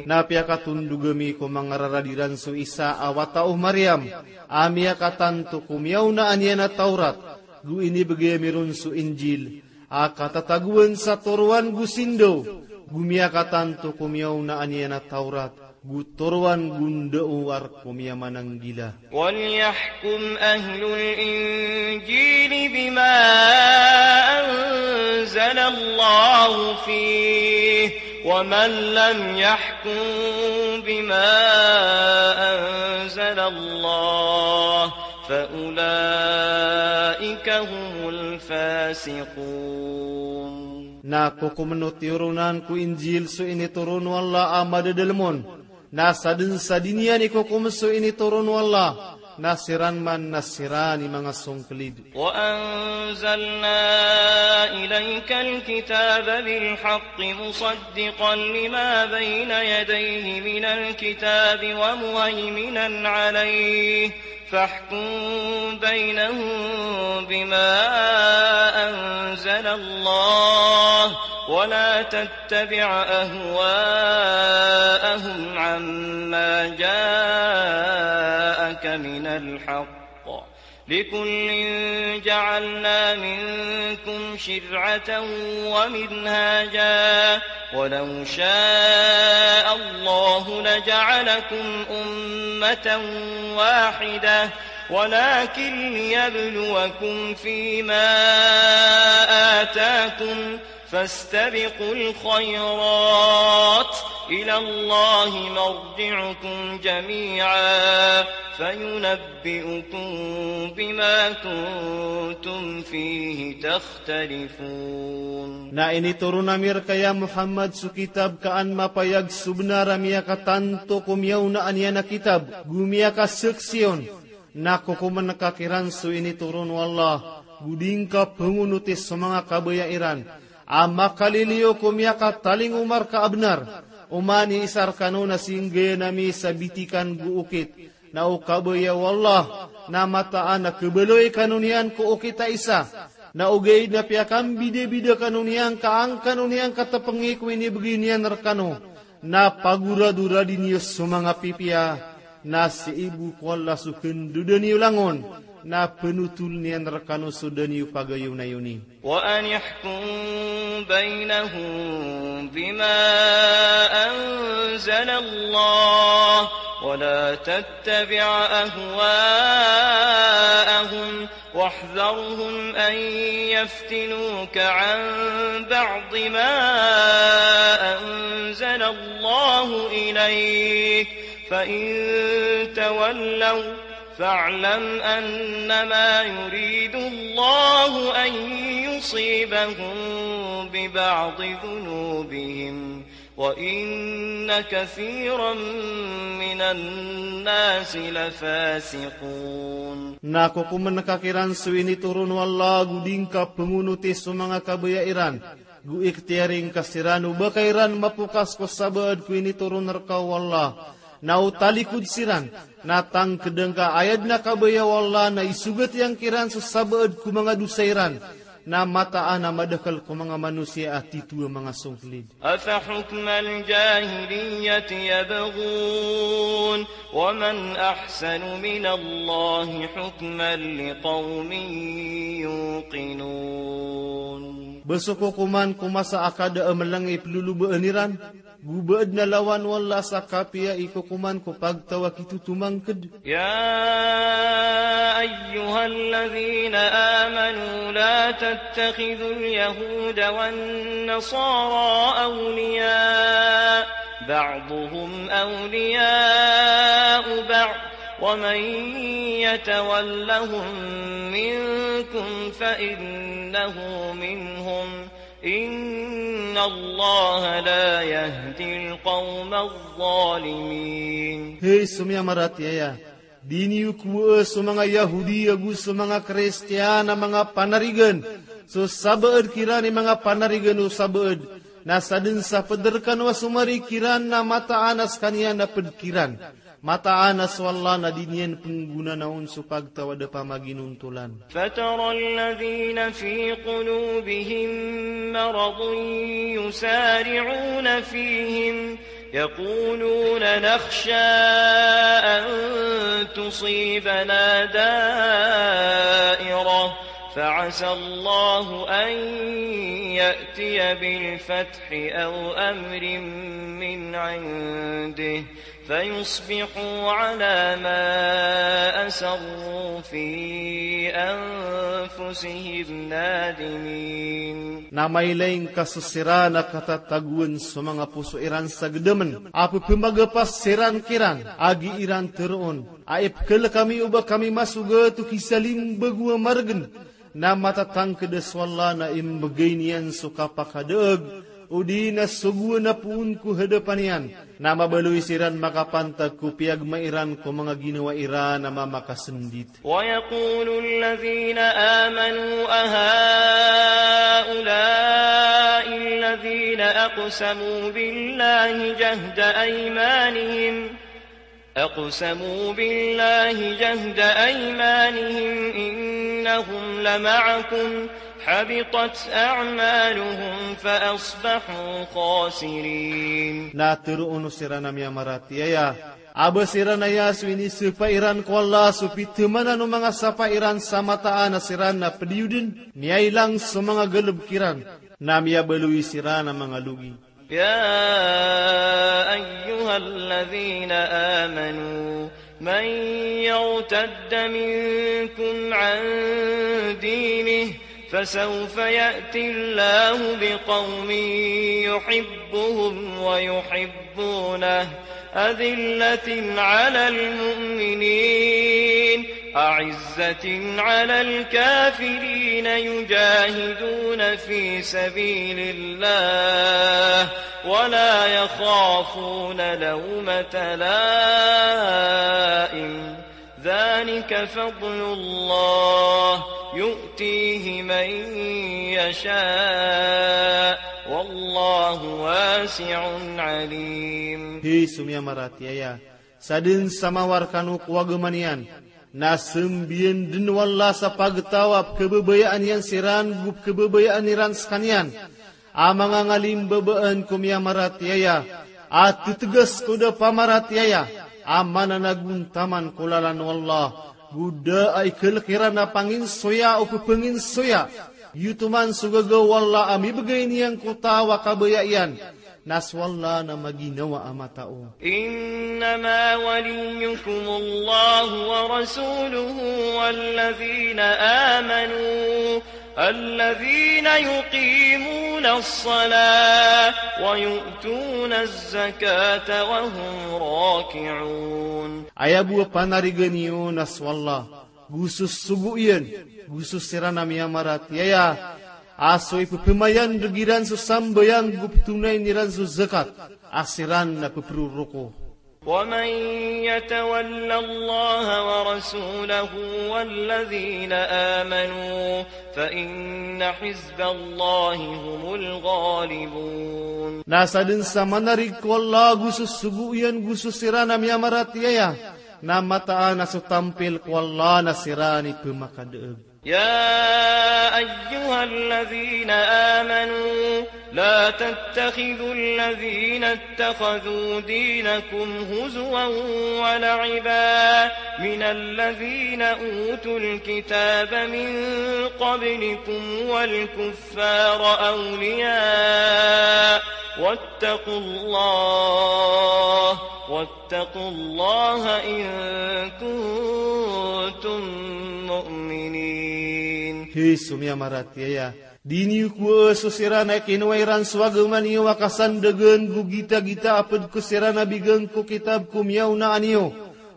Na piyakatondog ami ko manga rarad iran so Isa a wata o Maryam, a miyakatanto ko miyaonaan iyan a Tawrat, go inibgay ami ron so Injil, a katatagoan sa toroan go sindaw, go miyakatanto ko miyaonaan iyan a Tawrat, go toroan go ndao a rk ko miyamananggila. وليحكم أهل الإنجيل بما أنزل الله فيه ومن لم يحكم بما أنزل الله فأولئك هم الفاسقون. Na kokomn o tiyoronan ko Injil so initoron o Allah a madadalm on, na sadn sa di niyan ikokom so initoron o Allah, na siran man na siran i manga songklid. وأنزلنا إليك الكتاب بالحق مصدقا لما بين يديه من الكتاب ومهيمنا عليه فاحكم بينهم بما أنزل الله ولا تتبع أهواءهم عما جاءك من الحق، لكل جعلنا منكم شرعة ومنهاجا، ولو شاء الله لجعلكم أمة واحدة، ولكن ليبلوكم فيما آتاكم، فاستبقوا الخيرات، إلى الله مرجعكم جميعا، فينبئكم بما كنتم فيه تختلفون. Na initoron ami rka ya Muhammad so kitab ka an mapayag so bnar a miyakatanto ko miyaonaan iyan a kitab, go miyakasaksi on, na kokomn ka kiran so initoron o Allah, go di ngka pngonoti so manga kabaya iran, a makaliliyo ko miyakatalingoma rka a bnar, oman i isa rkano na singgayan ami sa bitikan go okit, Na o kabaya o Allah na mataan a khabaloy kano niyan ko okit a isa. Na ogaid na piyakambidabida kano niyan ka an kano niyan katpngi ko inibgay niyan rkano. Na pagoradoradi niyo so manga pipiya, na sii bo ko Allah so khandoda niyo langon, na pnotol iyan rkano so da niyo pagayonayoni. وأن احكم بينهم بما أنزل الله ولا تتبع أهواءهم واحذرهم أن يفتنوك عن بعض ما أنزل الله إليك، فإن تولوا فاعلم أنما يريد الله أن يصيبهم ببعض ذنوبهم، وإن كثيرا من الناس لفاسقون. Na kokomn ka kiran so initoron o Allah, go di ngka pngonoti so manga kabaya iran, go ikhtiyari ngka siran o ba ka iran mapokas ko sabaad ko initoron rka o Allah. Na o talikod siran, na tangkd ngka a aya dn a kabaya o Allah na isogat iyan kiran so sabaad ko manga dosa iran. Na mataan a madakl ko manga manosiya a titho a manga songklid. أفحكم الجاهلية يبغون ومن أحسن من الله حكما لقوم يوقنون. Ba so kokoman ko masa a kada a mlng i plolobaan iran, go ba adn a lawan o Allah sa kapiya i kokoman ko pagtaw a kitotomangkd. يا أيها الذين آمنوا لا تتخذوا اليهود والنصارى أولياء، بعضهم أولياء بعض، ومن يتولهم منكم فإنه منهم، إن الله لا يهدي القوم الظالمين. Hay so miyamaratiyaya, di niyo kowaa so manga Yahudi ago so manga Kristiyan a manga panarigan. So sabaad kiran i manga panarigan o sabaad, na sadn sa pd rkano a somari kiran na mataan a skaniyan a pd kiran. Mataan a so Allah na di niyan pnggonanaon so pagtaw a da pamaginontolan. فترى الذين في قلوبهم مرض يسارعون فيهم يقولون نخشى أن تصيبنا دائرة فعسى الله أن يأتي بالفتح أو أمر من عنده فيصبحوا على ما أسروا في أنفسهم نادمين. Na mailay ngka so siran a katatagoan so manga poso iran sa gdamn a pphamagapas siran kiran a gii ran tharoon a ipkhl kami o ba kami masogat o kisalimbag o a margn. Na matatangkd a so Allah na imbgay niyan so kapakadaag, odi na sogoan a poon ko hadapan iyan. Na mabaloy siran makapantag ko piyagma iran ko manga ginawa iran a mamakasndit. ويقول الذين آمنوا أهؤلاء الذين أقسموا بالله جهد أيمانهم أقسموا بالله جهد أيمانهم إنهم لمعكم حبطت أعمالهم فأصبحوا خاسرين. Na tharoon o siran a miyamaratiyaya a ba siran aya so inisapa iran ko Allah so pithamanan o manga sapa iran sa mataan a siran na pdiyo dn, miyailang so manga galbk iran, na miyabaloy siran a manga logi. يا أيها الذين آمنوا من يرتد منكم عن دينه فسوف يأتي الله بقوم يحبهم ويحبونه أذلة على المؤمنين أعزة على الكافرين يجاهدون في سبيل الله ولا يخافون لومة لائم ذلك فضل الله يؤتيه من يشاء والله واسع عليم. Hay so miyamaratiyaya, Sa dn sa mawar kano ko agama niyan, na sambiyan dn o Allah sa pagtaw a pkhababayaan iyan siran go pkhababayaan iran skaniyan. A manga ngalim babaan ko miyamaratiyaya a ttgas ko da pamaratiyaya a mananagontaman ko lalan o Allah, go da a ikalk iran a panginsoya o ppanginsoya. Giyoto man so gagaw o Allah a mibgay niyan ko taw a kabaya iyan, na so Allah na maginawa a matao. إنما وليكم الله ورسوله والذين آمنوا الذين يقيمون الصلاة ويؤتون الزكاة وهم راكعون. Aya bo a panarigan iyo na so Allah, go so sogo iyan, go so siran a miyamaratiyaya, a so ipphamayan'g iran so sambayang go pthonayn iran so zakat, a siran na pproroko. ومن يتول الله ورسوله والذين آمنوا فإن حزب الله هم الغالبون. Na sa dn sa manarig ko Allah go so sogo iyan go so siran a miyamaratiyaya, na mataan a so tampil ko Allah na siran i pmakadaag. يا أيها الذين آمنوا لا تتخذوا الذين اتخذوا دينكم هزوا ولعبا من الذين أوتوا الكتاب من قبلكم والكفار أولياء واتقوا الله واتقوا الله إن كنتم مؤمنين. Hay so miyamaratiyaya, di niyo kowa so siran a kinowa iran so agama niyo a kasandagan go gitagita a pd ko siran a bigan ko kitab ko miyaonaan iyo,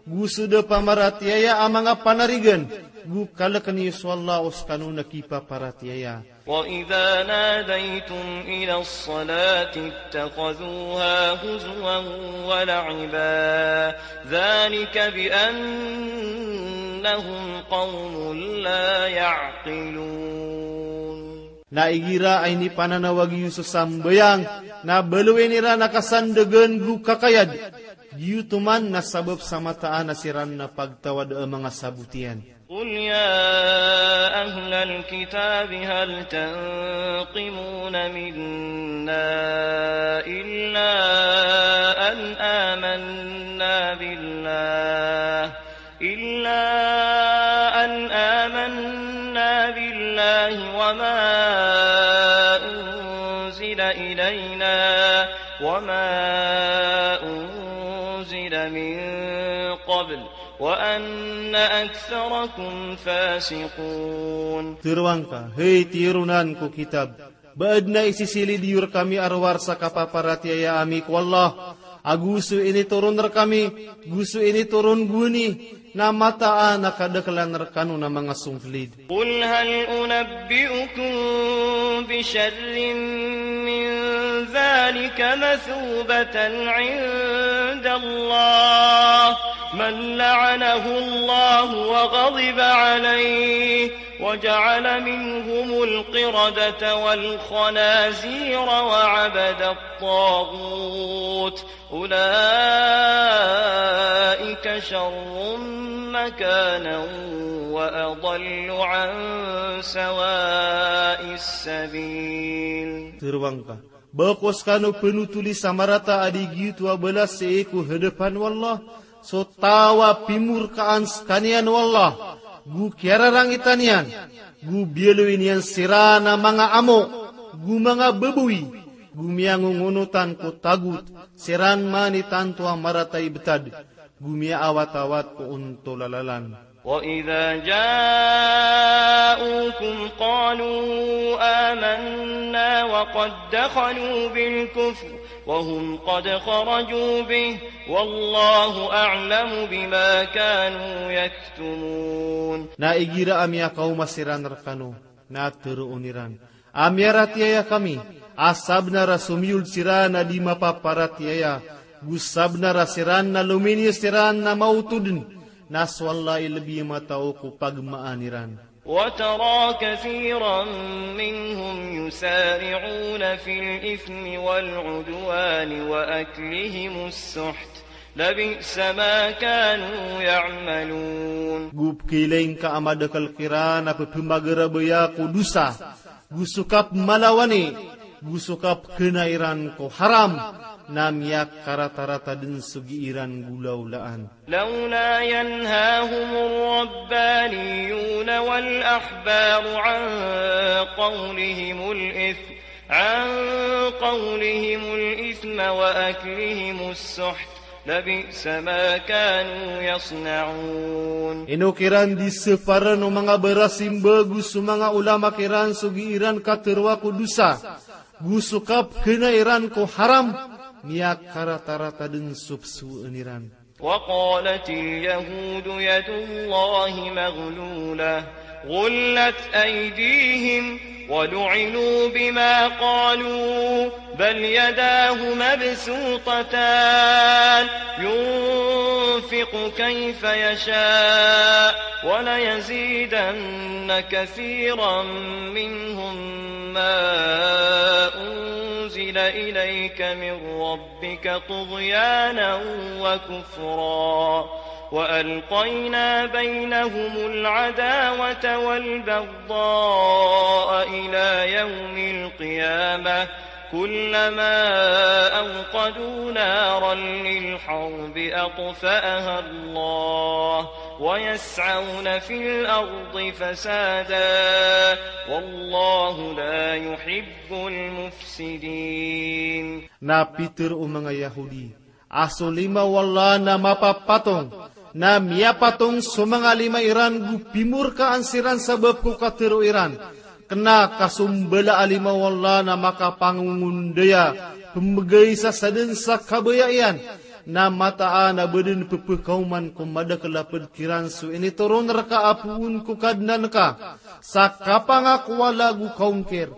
go so da pamaratiyaya a manga panarigan, go kalkn iyo so Allah o skano na kipaparatiyaya. وإذا ناديتم إلى الصلاة اتخذوها هزوا ولعبا ذلك بأنهم قوم لا يعقلون. Na igira a inipananawag iyo so sambayang, na baloyn iran a kasandagan go kakayad, giyoto man na sabap sa mataan a siran na pagtawad a manga sabot iyan. قل يا أهل الكتاب هل تنقمون منا إلا أن آمنا بالله، إلا أن آمنا بالله وما أنزل إلينا وما أنزل من قبل وأن أكثركم فاسقون. Tharoang ka, hay tironan ko kitab, ba adn a isisilid iyo rkami a rowar sa kapaparatiyaya ami ko Allah, ago so initoron rkami, go so initoron gowani, na mataan a kadaklan rkano na manga songklid. قل هل أنبئكم بشر من ذلك مثوبة عند الله من لعنه الله وغضب عليه وجعل منهم القردة والخنازير وعبد الطاغوت أولئك شر مكانا وأضل عن سواء السبيل. Tharoang ka, ba ko skano pnotoli sa marata a di giyoto a balas sii ko hadapan o Allah so taw a pimorkaan skaniyan o Allah, go kiyararangitan iyan, go biyaloy niyan siran a manga amo, go manga baboy, go miyangongonotan ko tagot, siran man i tanto a marata i btad, go miyaawatawat ko ontol a lalan. وإذا جاءوكم قالوا آمنا وقد دخلوا بالكفر وهم قد خرجوا به والله أعلم بما كانوا يكتمون. Na igira a miyakaoma siran rkano, na tharoon iran a miyaratiyaya kami, a sabnar a somiyold siran a di mapaparatiyaya, go sabnar a siran na lominiyo siran na maoto dn, na so Allah i lbi matao ko pagmaan iran. وترى كثيرا منهم يسارعون في الإثم والعدوان وأكلهم السحت لبئس ما كانوا يعملون. Go pkhailay ngka a madakel kiran a pphamagarabaya ko dosa, go so kapmalawani, go so kapkhana iran ko haram, na miyakaratarata den so gii ran golaolaan. لولا ينهاهم الربانيون والأحبار عن قولهم الإثم، عن قولهم الإثم وأكلهم السحت، لبئس ما كانوا يصنعون. Ino kiran di separan o manga barasimba go so manga olama kiran so gii ran kateroa ko dosa, go so kapkhana iran ko haram, miyakaratarata den so psoen iran. وقالت اليهود يد الله مغلولة، غلت أيديهم، ولعنوا بما قالوا، بل يداه مبسوطتان، ينفق كيف يشاء، وليزيدن كثيرا منهم ما أنزل إليك من ربك طغيانا وكفرا، وألقينا بينهم العداوة والبغضاء إلى يوم القيامة، كلما أوقدوا نارا للحرب أطفأها الله، ويسعون في الأرض فسادا، والله لا يحب المفسدين. Na pitharo o manga Yahudi a so lima o Allah na mapapatong, na miyapatong so manga lima iran go pimorkaan siran sabap ko katharo iran. Kena ka so mbala a lima o Allah na makapangongondaya, pembegay sa saden sa kabaya iyan. Na mataan a ba den pepekaoman ko madakel a ped kiran so initoron reka a poon ko Kadnan ka, sa kapangakowa lago kaongkir.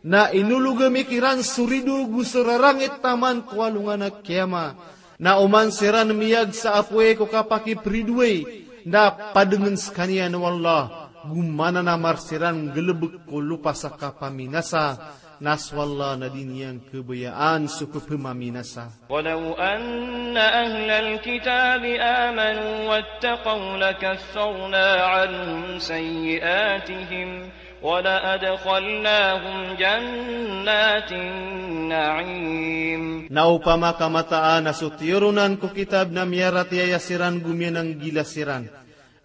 Na inolog ami kiran so rido go so rarangit taman ko alongan a kiyama. Na oman siran miyag sa apoy ko kapakipridoay, na padengen sekaniyan o Allah, go mananamar siran nggelebek ko lopa sa kapaminasa, na so Allah na di niyan kebayaan so pepemaminasa. ولو أن أهل الكتاب آمنوا واتقوا لكفرنا عنهم سيئاتهم ولأدخلناهم جنات النعيم. Na opama ka mataan a so tiyoronan ko kitab na miyaratiyaya siran go miyananggila siran,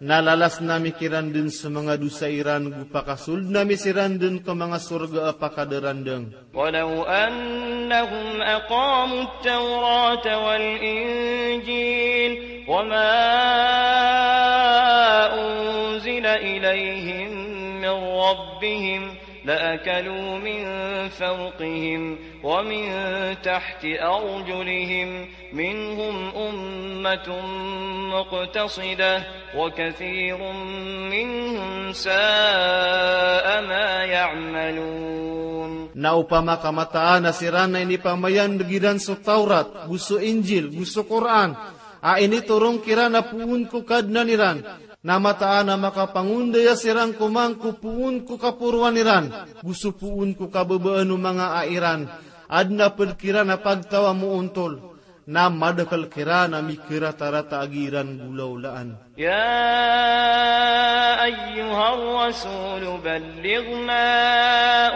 na lalasn ami kiran den so manga dosa iran go pakasoldn ami siran den ko manga sorga a pakadarandang. ولو أنهم أقاموا التوراة والإنجيل وما أنزل إليهم من ربهم لأكلوا من فوقهم ومن تحت أرجلهم منهم أمة مقتصدة وكثير منهم ساء ما يعملون. Na opama ka mataan a siran na inipamayandg iran so Tawrat, go so Injil, go so Qur'an, a initoron kiran a poon ko Kadnan iran, na mataan a makapangondaya siran ko mangko poon ko kaporoan iran, go so poon ko kababaan o manga ai iran, aden a ped kiran a pagtaw a moontol, na madakel kiran a mikeratarata a gii ran golaolaan. يا أيها الرسول بلغ ما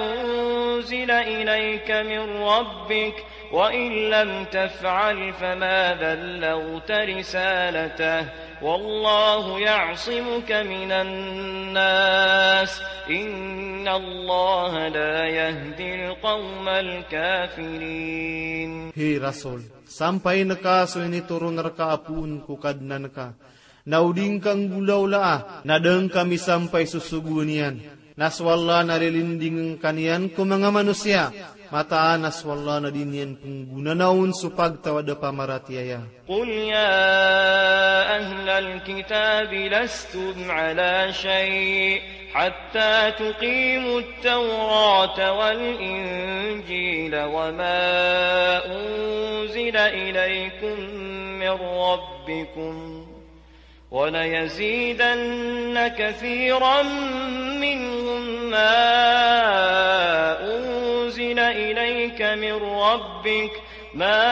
أنزل إليك من ربك وإن لم تفعل فما بلغت رسالته والله يعصمك من الناس إن الله لا يهدي القوم الكافرين. Hay Rasul, sampain ka so initoron reka a poon ko Kadnan ka, na o di ngka nggolaolaa, na da ngka misampay so sogoan iyan. Na so Allah na lilindingen ka niyan ko manga manosiya. Mataan a so Allah na di niyan penggonanaon so pagtaw a da pamaratiyaya. قل يا أهل الكتاب لستم على شيء حتى تقيموا التوراة والإنجيل وما أنزل إليكم من ربكم وليزيدن كثيرا منهم ما أنزل إليك من ربك ما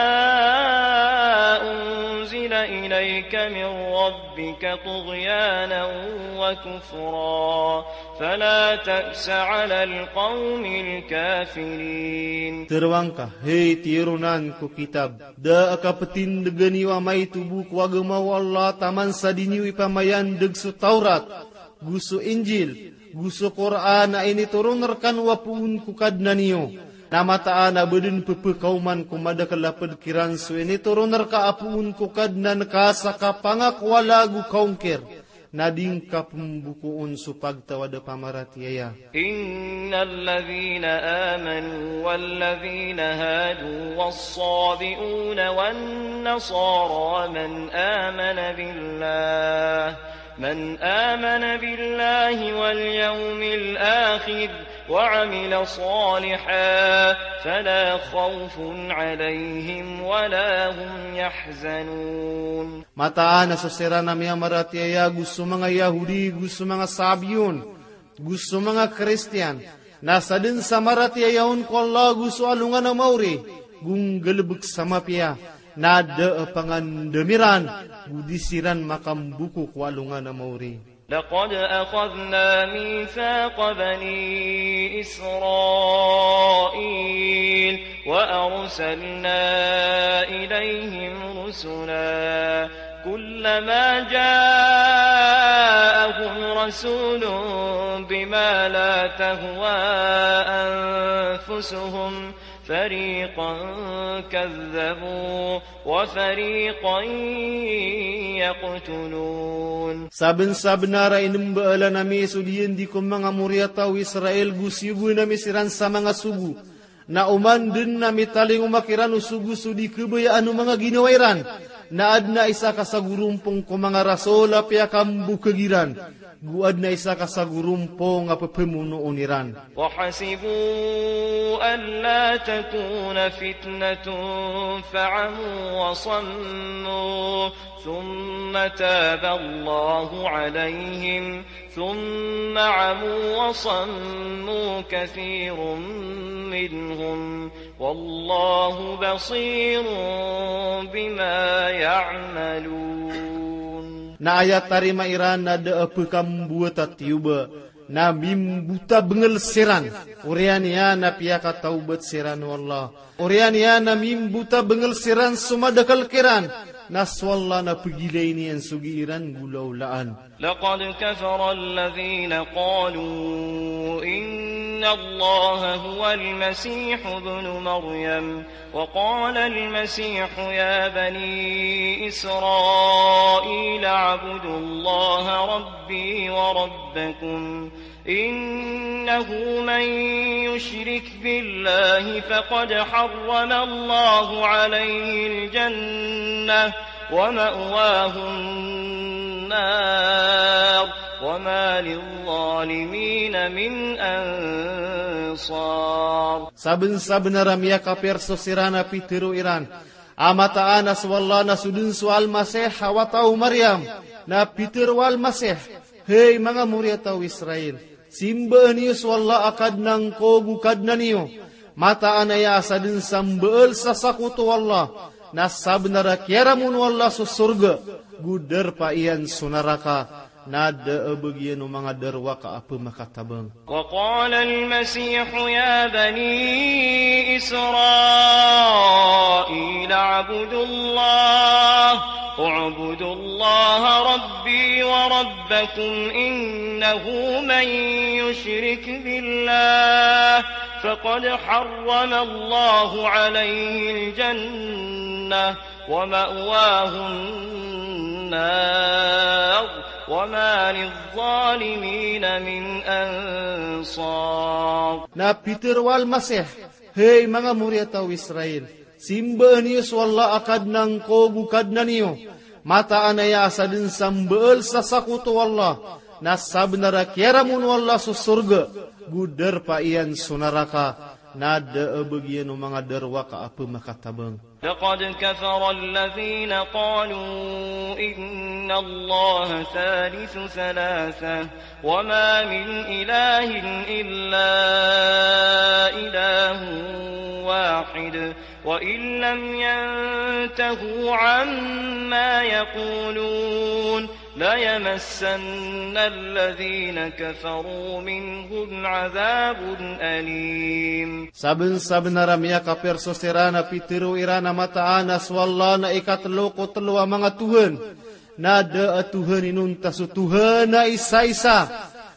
أنزل إليك من ربك طغيانا وكفرا فلا تأس على القوم الكافرين. Tharoang ka, hay tiyoronan ko kitab, da a kapetindegen iyo a maito bo ko agama o Allah taman sa di niyo ipamayandeg so Tawrat, go so Injil, go so Qur'an a initoron rekano a poon ko Kadnan iyo. Na mataan a ba den pepekaoman ko madakel a ped kiran so initoron reka a poon ko Kadnan ka sa kapangakowala go kaongkir, na di ngka pembokoon so pagtawad a pamaratiyaya. إن الذين آمنوا والذين هادوا والصابئون والنصارى من آمن بالله من آمن بالله واليوم الآخر وعمل صالحا فلا خوف عليهم ولا هم يحزنون. Mataan a so siran a miyamaratiyaya go so manga Yahudi, go so manga Sabiyon, go so manga Kristiyan, na saden sa maratiyaya on ko Allah go so alongan a maori, go nggalebek sa mapiya, na da a pangandam iran, go di siran makamboko ko alongan a maori. لقد أخذنا ميثاق بني إسرائيل وأرسلنا إليهم رسلا كلما جاءهم رسول بما لا تهوى أنفسهم فريقا كذبوا وفريقا يقتلون. Sabensabenar a inembaelan ami so diyen di ko manga moriyataw o Israel go siyogoan ami siran sa manga sogo. Na oman den a mitalingoma kiran o sogo so di kebayaan o manga ginawa iran. Na aden a isa ka sagorompong ko manga rasol a piyakambokeg iran. Go aden a isa ka sagorompong a pepemonoon iran. وحسبوا ألا تكون فتنة فعموا وصموا ثم تاب الله عليهم ثم عموا وصموا كثير منهم والله بصير بما يعملون. Na aya tarima iran na da a pekamboat a tiyoba, na mimbotabengel siran, oriyan iyan a piyakatawbat siran o Allah. Oriyan iyan a mimbotabengel siran so madakel kiran, na so Allah na pegilay niyan so gii ran golaolaan. لقد كفر الذين قالوا إن الله هو المسيح ابن مريم وقال المسيح يا بني إسرائيل اعبدوا الله ربي وربكم إنه من يشرك بالله فقد حرم الله عليه الجنة ومأواه النار وما للظالمين من أنصار. Sabensabenar a miyakapir so siran a pitero iran a mataan a so Allah na so den so Almasih a wata o Maryam. Na pitero o Almasih, hay manga moriyataw o Israel, simbaan iyo so Allah a Kadnan ko go Kadnan iyo. Mataan aya a saden sa mbaal sa sakoto o Allah, na sabenar a kiyaramon o Allah so sorga, go darpa iyan so naraka, na da a bagian o manga darowaka a pemakatabang. وقال المسيح يا بني إسرائيل اعبدوا الله اعبدوا الله ربي وربكم إنه من يشرك بالله فقد حرم الله عليه الجنة ومأواه النار وما للظالمين من أنصار. Na pitero o Almasih, hay manga moriyataw o Israel, simbaan iyo so Allah a Kadnan ko go Kadnan iyo. Mataan aya a saden sa mbaal sa sakoto o Allah, na sabenar a kiyaramon o Allah so sorga, go darpa iyan so naraka, na da a bagian o manga darowaka a pemakatabang. لقد كفر الذين قالوا إن الله ثالث ثلاثة وما من إله إلا إله واحد وإن لم ينتهوا عما يقولون ليمسن الذين كفروا منهم عذاب أليم. Sabensabenar a miyakapir so siran a pitero iran a mataan a so Allah na ikatelo ko telo a manga tohan, na da a tohan inonta so Tohan a isaisa,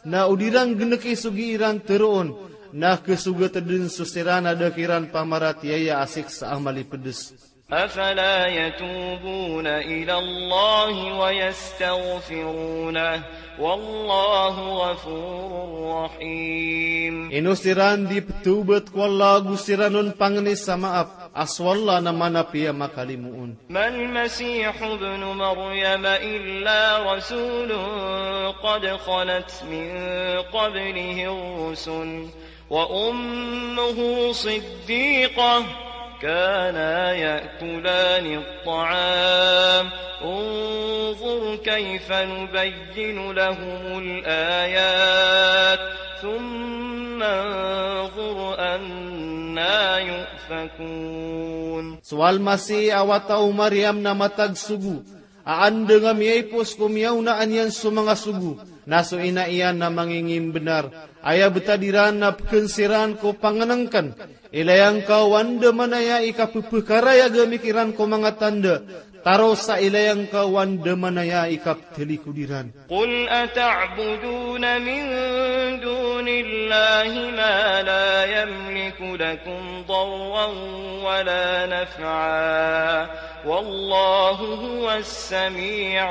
na o di ran geneki so gii ran teroon, na kesogat den so siran a da kiran pamaratiyaya a siksa a malipedes. أفلا يتوبون إلى الله ويستغفرونه والله غفور رحيم. Ino siran di petobat ko Allah ago siran on pangni sa maap, a so Allah na manapiya makalimo on. ما المسيح ابن مريم إلا رسول قد خلت من قبله الرسل وأمه صديقة كانا يأكلان الطعام انظر كيف نبين لهم الآيات ثم انظر أنى يؤفكون. So Almasih a wata o Mariam na matagsogo, a andang a miyaipos ko miyaonaan iyan so manga sogo, na so ina iyan na mangingimbenar. Aya betad iran na peken siran ko pangenengken, ilay angka o andamanaya i kapepekarayag ami kiran ko manga tanda, taro sa ilay angka o andamanaya i kapetalikod iran. قل أتعبدون من دون الله ما لا يملك لكم ضرا ولا نفعا والله هو السميع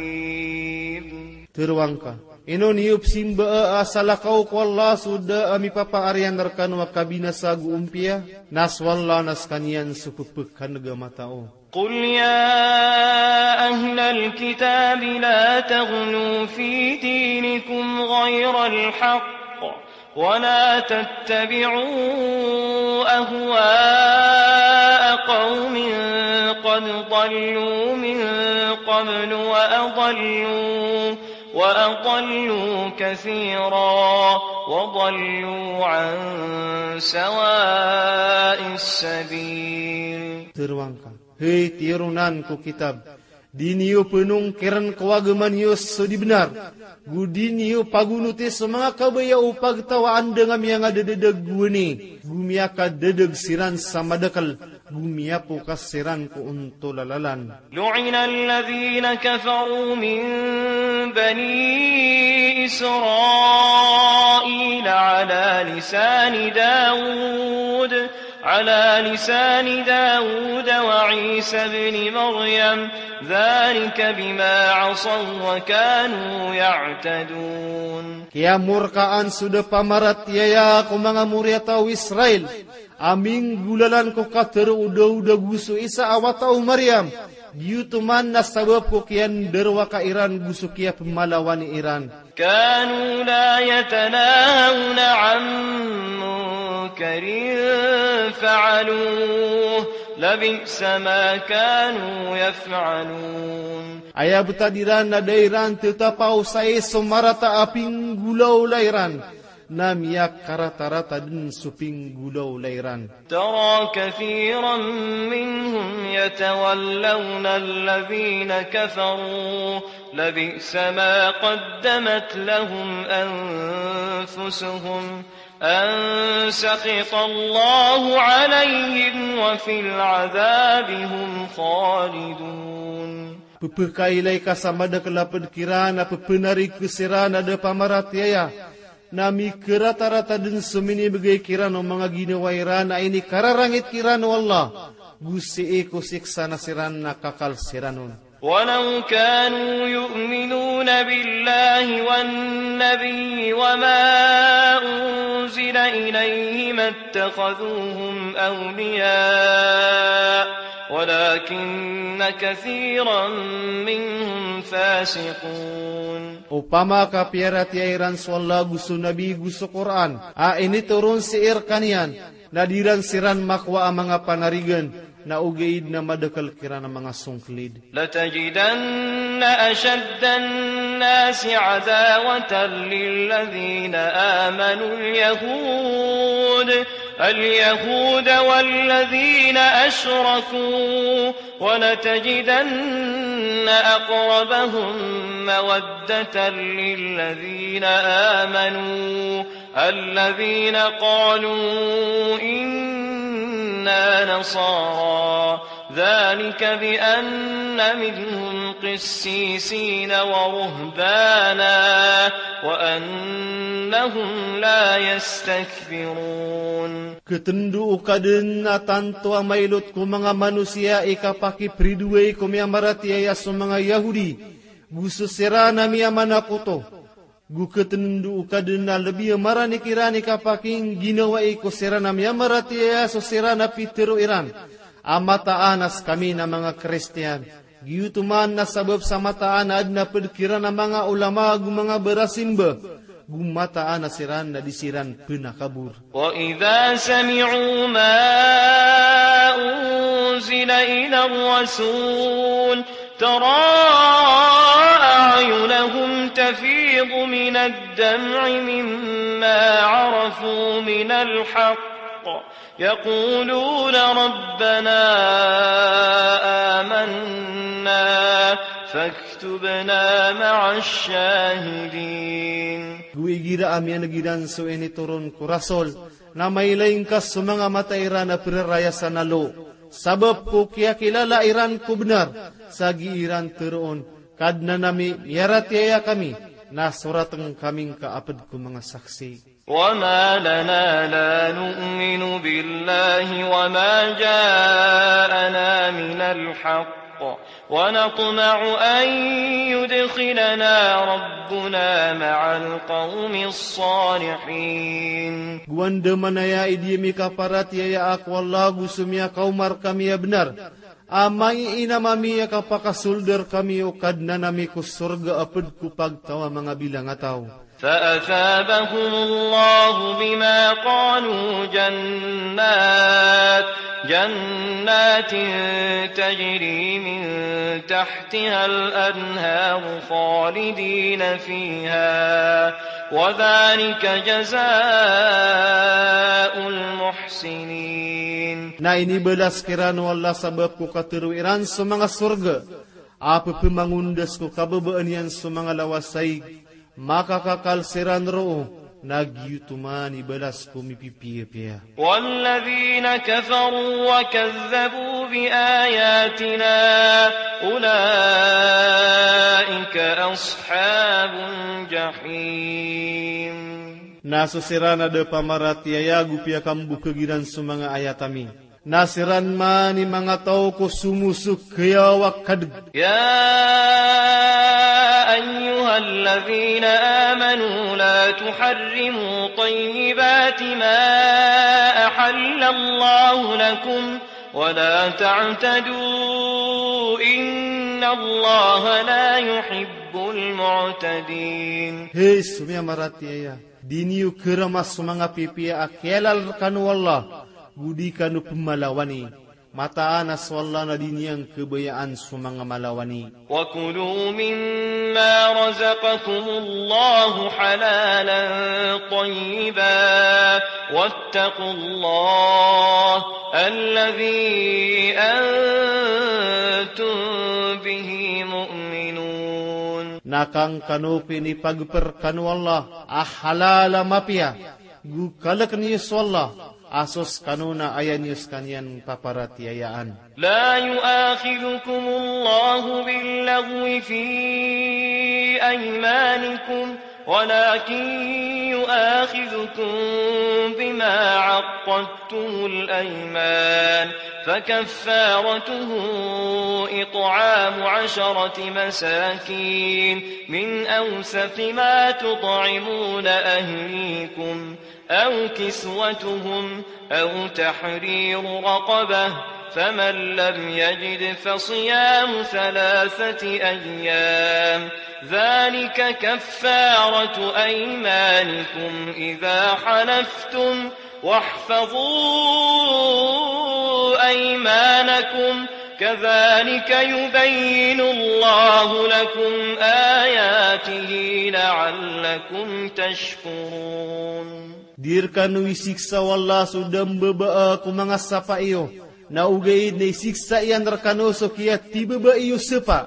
العليم. Tero angka, ino niyo pesimbaa a salakaw ko Allah so da a mipapaariyan rekano a kabinasa ago ompiya, na so Allah na sekaniyan so pepekaneg a matao. قل يا أهل الكتاب لا تغلوا في دينكم غير الحق ولا تتبعوا أهواء قوم قد ضلوا من قبل وأضلوا، وأضلوا كثيرا وضلوا عن سواء السبيل. Tero angka, hay tironan ko kitab, di niyo penongkiren ko agama niyo so di benar, go di niyo pagonoti so manga kabaya o pagtaw a andang a miyangadededeg gowani, go miyakadedeg siran sa madakel, go miyapokas siran ko ontol a lalan. لعن الذين كفروا من بني إسرائيل على لسان داود على لسان داود وعيسى ابن مريم ذلك بما عصوا وكانوا يعتدون. Kiyamorkaan so da pamaratiyaya ko manga moriyataw o Israel a minggolalan ko katero o Daud ago so Isa a wata o Mariam, giyoto man na sabap ko kiyandarowaka iran go so kiyapemalawan iran. كانوا لا يتناهون عن منكر فعلوه لبئس ما كانوا يفعلون. Aya betad iran na da iran tetapaw sa i so marata a pinggolaola iran, na miyakaratarata den so pinggolaola iran. ترى كثيرا منهم يتولون الذين كفروا لبئس ما قدمت لهم أنفسهم أن سخط الله عليهم وفي العذاب هم خالدون. Pepekailay ka sa madakel a ped kiran a pepenarig siran a da pamaratiyaya, na mikeratarata den so minibegay kiran o manga ginawa iran a inikararangit kiran o Allah, go sii ko siksa na siran na kakal siran on. ولو كانوا يؤمنون بالله والنبي وما أنزل إليه ما اتخذوهم أولياء ولكن كثيرا منهم فاسقون. Opama ka piyaratiyaya iran so Allah go so Nabi go so Qur'an a initoron sii rekaniyan, na di ran siran makowa a manga panarigan, na ogaid na madakel kiran a manga songkelid. لتجدن أشد الناس عداوة للذين آمنوا اليهود اليهود والذين أشركوا ولتجدن أقربهم مودة للذين آمنوا الذين قالوا إنا نصارى ذلك بأن منهم قسيسين ورهبانا وأنهم لا يستكبرون. Khatendo o Kadnan a tanto a mailot ko manga manosiya i kapakipridoay ko miyamaratiyaya so manga Yahudi, go so siran a miyamanakoto. Go khatendo o Kadnan a lbi a marani kiran i kapakingginawai ko siran a miyamaratiyaya so siran a pitharo iran a mataan a skami na manga Kristiyan. Giyoto man na sabap sa mataan a adn a pd kiran a manga ulama go manga barasimba, go mataan a siran na di siran pnakabor. وإذا سمعوا ما أنزل إلى الرسول ترى أعينهم تفيض من الدمع مما عرفوا من الحق يقولون ربنا آمنا فاكتبنا مع الشاهدين. Go igira a miyan'g iran so initoron ko Rasul, na mailay ngka so manga mata iran a prarayasan a lo, sabap ko kiyakilala iran ko bnar, sa gii iran tharoon, Kadnan ami, miyaratiyaya kami, na soratn kami ngka a pd ko manga saksi. وما لنا لا نؤمن بالله وما جاءنا من الحق ونطمع أن يدخلنا ربنا مع القوم الصالحين. Go andamanaya i di ami kaparatiyaya ko Allah go so miyakaoma rkami a bnar, a mangiinam ami a kapakasold rkami o Kadnan ami ko sorga a pd ko pagtaw a manga bilangataw. فأثابهم الله بما قالوا جنات، جنات تجري من تحتها الأنهار خالدين فيها، وذلك جزاء المحسنين. Na inibalas kiran o Allah sabap ko katharo iran so manga sorga a pphamangondas ko kababaan iyan so manga lawas a ig, makakakal siran roo, na giyoto man i balas ko mipipiyapiya. والذين كفروا وكذبوا بآياتنا أولئك أصحاب الجحيم. Na so siran a da pamaratiyaya go piyakambokhag iran so manga ayat ami, na siran man i manga taw ko somosok khayaw a kadg. يا أيها الذين آمنوا لا تحرموا طيبات ما أحل الله لكم ولا تعتدوا إن الله لا يحب المعتدين. Hay so miyamaratiyaya, di niyo kharama so manga pipiya a kiyalal rkano o Allah, go di kano pmalawani. Mataan a so Allah na di niyan khabayaan so manga malawani. وكلوا مما رزقكم الله حلالا طيبا واتقوا الله الذي أنتم به مؤمنون. Na kangkano pinipagpr kano o Allah a halal a mapiya, go kalkn iyo so Allah a so skano na aya niyo skaniyan paparatiyayaan. لا يؤاخذكم الله باللغو في أيمانكم ولكن يؤاخذكم بما عقدتم الأيمان فكفارته إطعام عشرة مساكين من أوسط ما تطعمون أهليكم أو كسوتهم أو تحرير رقبة فمن لم يجد فصيام ثلاثة أيام ذلك كفارة أيمانكم إذا حلفتم واحفظوا أيمانكم كذلك يبين الله لكم آياته لعلكم تشكرون. Di rkano isiksa o Allah so da mbabaa ko manga sapa iyo, na ogaid na isiksa iyan rkano so kiyatibaba iyo sapa.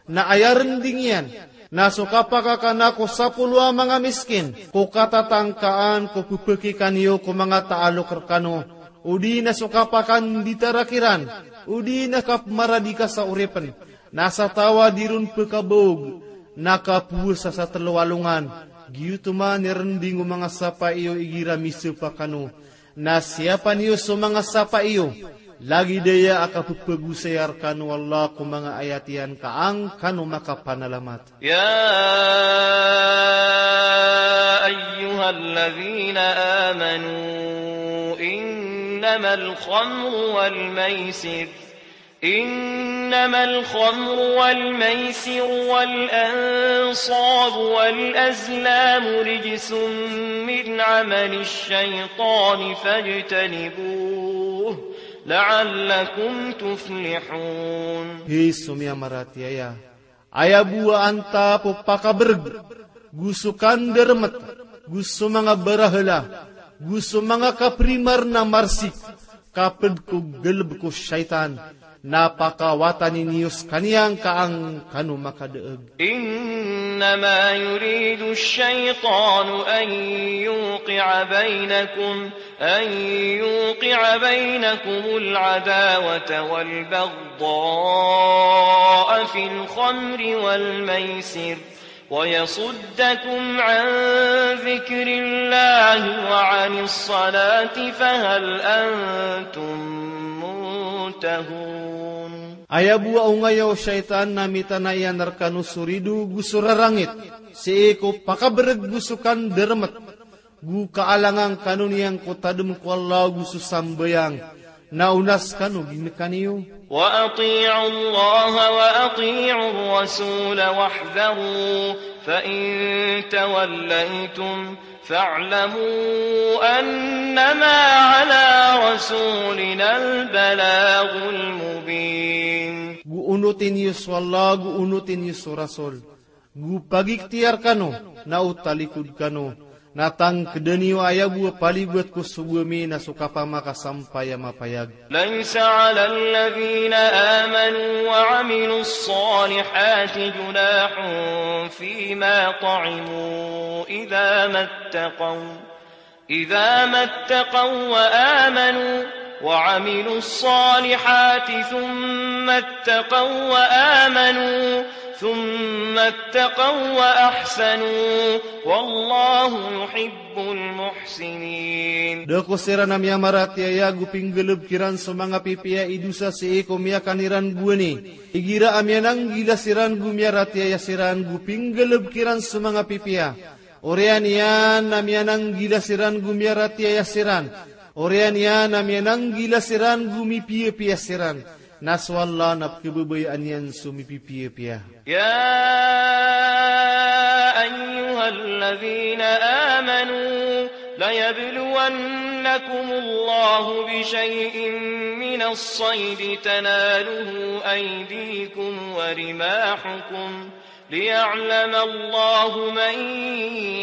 Na aya rnding iyan na so kapakakana ko sapolo a manga miskin ko katatangkaan ko pphakikaniyo ko manga taalok rkano, odi na so kapakanditara kiran, odi na kapmaradika sa oripn. Na sa taw a di ron pkhabaog na kapowasa sa tlo a alongan. Giyoto man i rnding o manga sapa iyo igira misapa kano. Na siyapa niyo so manga sapa iyo, lagid aya a kapphagosayan rkano o Allah ko manga ayat iyan ka an kano makapanalamat. يا أيها الذين آمنوا إنما الخمر والميسر إنما الخمر والميسر والأنصاب والأزلام رجس من عمل الشيطان فاجتنبوه لعلكم تفلحون. Hay so miyamaratiyaya, aya bo a antap o pakabrg, go so kandarmt, go so manga barahala, go so manga kaprimar na marsik, ka pd ko galb ko shaytan, na pakawatani niyo skaniyan ka an kano makadaag. إنما يريد الشيطان أن يوقع بينكم أن يوقع بينكم العداوة والبغضاء في الخمر والميسر ويصدكم عن ذكر الله وعن الصلاة فهل أنتم منتهون. Aya bo a ongaya o shaytan na mitana iyan rkano so rido go so rarangit sii ko pakabrg go so kandarmt, go kaalangan kano niyan ko tadm ko Allah go so sambayang, na onas kano gii kaniyo. وأطيعوا الله وأطيعوا الرسول واحذروا فإن توليتم فاعلموا أنما على رسولنا البلاغ المبين. Go onoti niyo so Allah, go onoti niyo so Rasul. Go pagikhtiyar kano, na o talikod kano, na tangkda niyo aya bo a palibat ko sogo ami na so kapamakasampay a mapayag. ليس على الذين آمنوا وعملوا الصالحات جناح فيما طعموا إذا ما اتقوا إذا ما اتقوا وآمنوا وعملوا الصالحات ثم اتقوا وآمنوا ثم اتقوا وأحسنوا والله يحب المحسنين. Da ko siran a miyamaratiyaya go pinggalbk iran so manga pipiya i dosa sii ko miyakan iran gowani. Igira a miyananggila siran go miyaratiyaya siran go pinggalbk iran so manga pipiya. Oriyan iyan a miyananggila siran go miyaratiyaya siran. Oriyan iyan a miyananggila siran go mipiyapiya siran. Na so Allah na pkhababayaan iyan so mipipiyapiya. يا أيها الذين آمنوا ليبلونكم الله بشيء من الصيد تناله أيديكم ورماحكم ليعلم الله من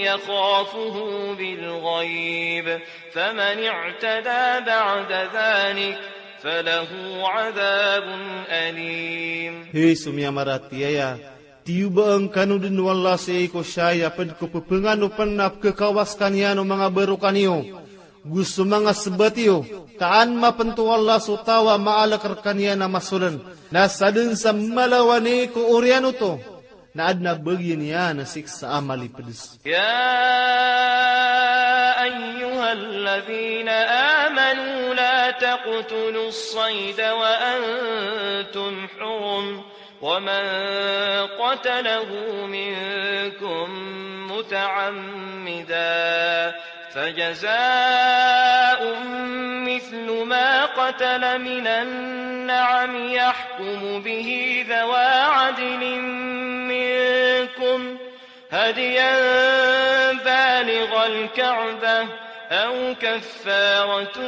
يخافه بالغيب فمن اعتدى بعد ذلك فله عذاب أليم. Hay so miyamaratiyaya, tiyoba angkano dn o Allah sii ko shay a pd ko pphangano pn a pkhakawa skaniyan o manga barokaniyo go so manga sbat iyo, ka an mapnto o Allah so taw a maalk rkaniyan a masoln, na sadn sa mala wani ko oriyan oto, na adn a bagiyan iyan a siksa a malipds. يا أيها الذين آمنوا لا تقتلوا الصيد وأنتم حرم ومن قتله منكم متعمدا فجزاء مثل ما قتل من النعم يحكم به ذوى عدل منكم هديا بالغ الكعبة أو كفارة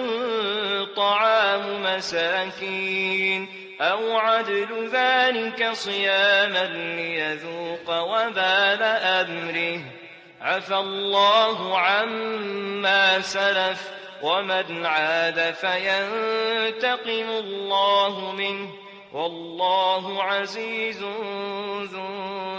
طعام مساكين أو عدل ذلك صياما ليذوق وبال أمره عفا الله عما سلف ومن عاد فينتقم الله منه والله عزيز ذو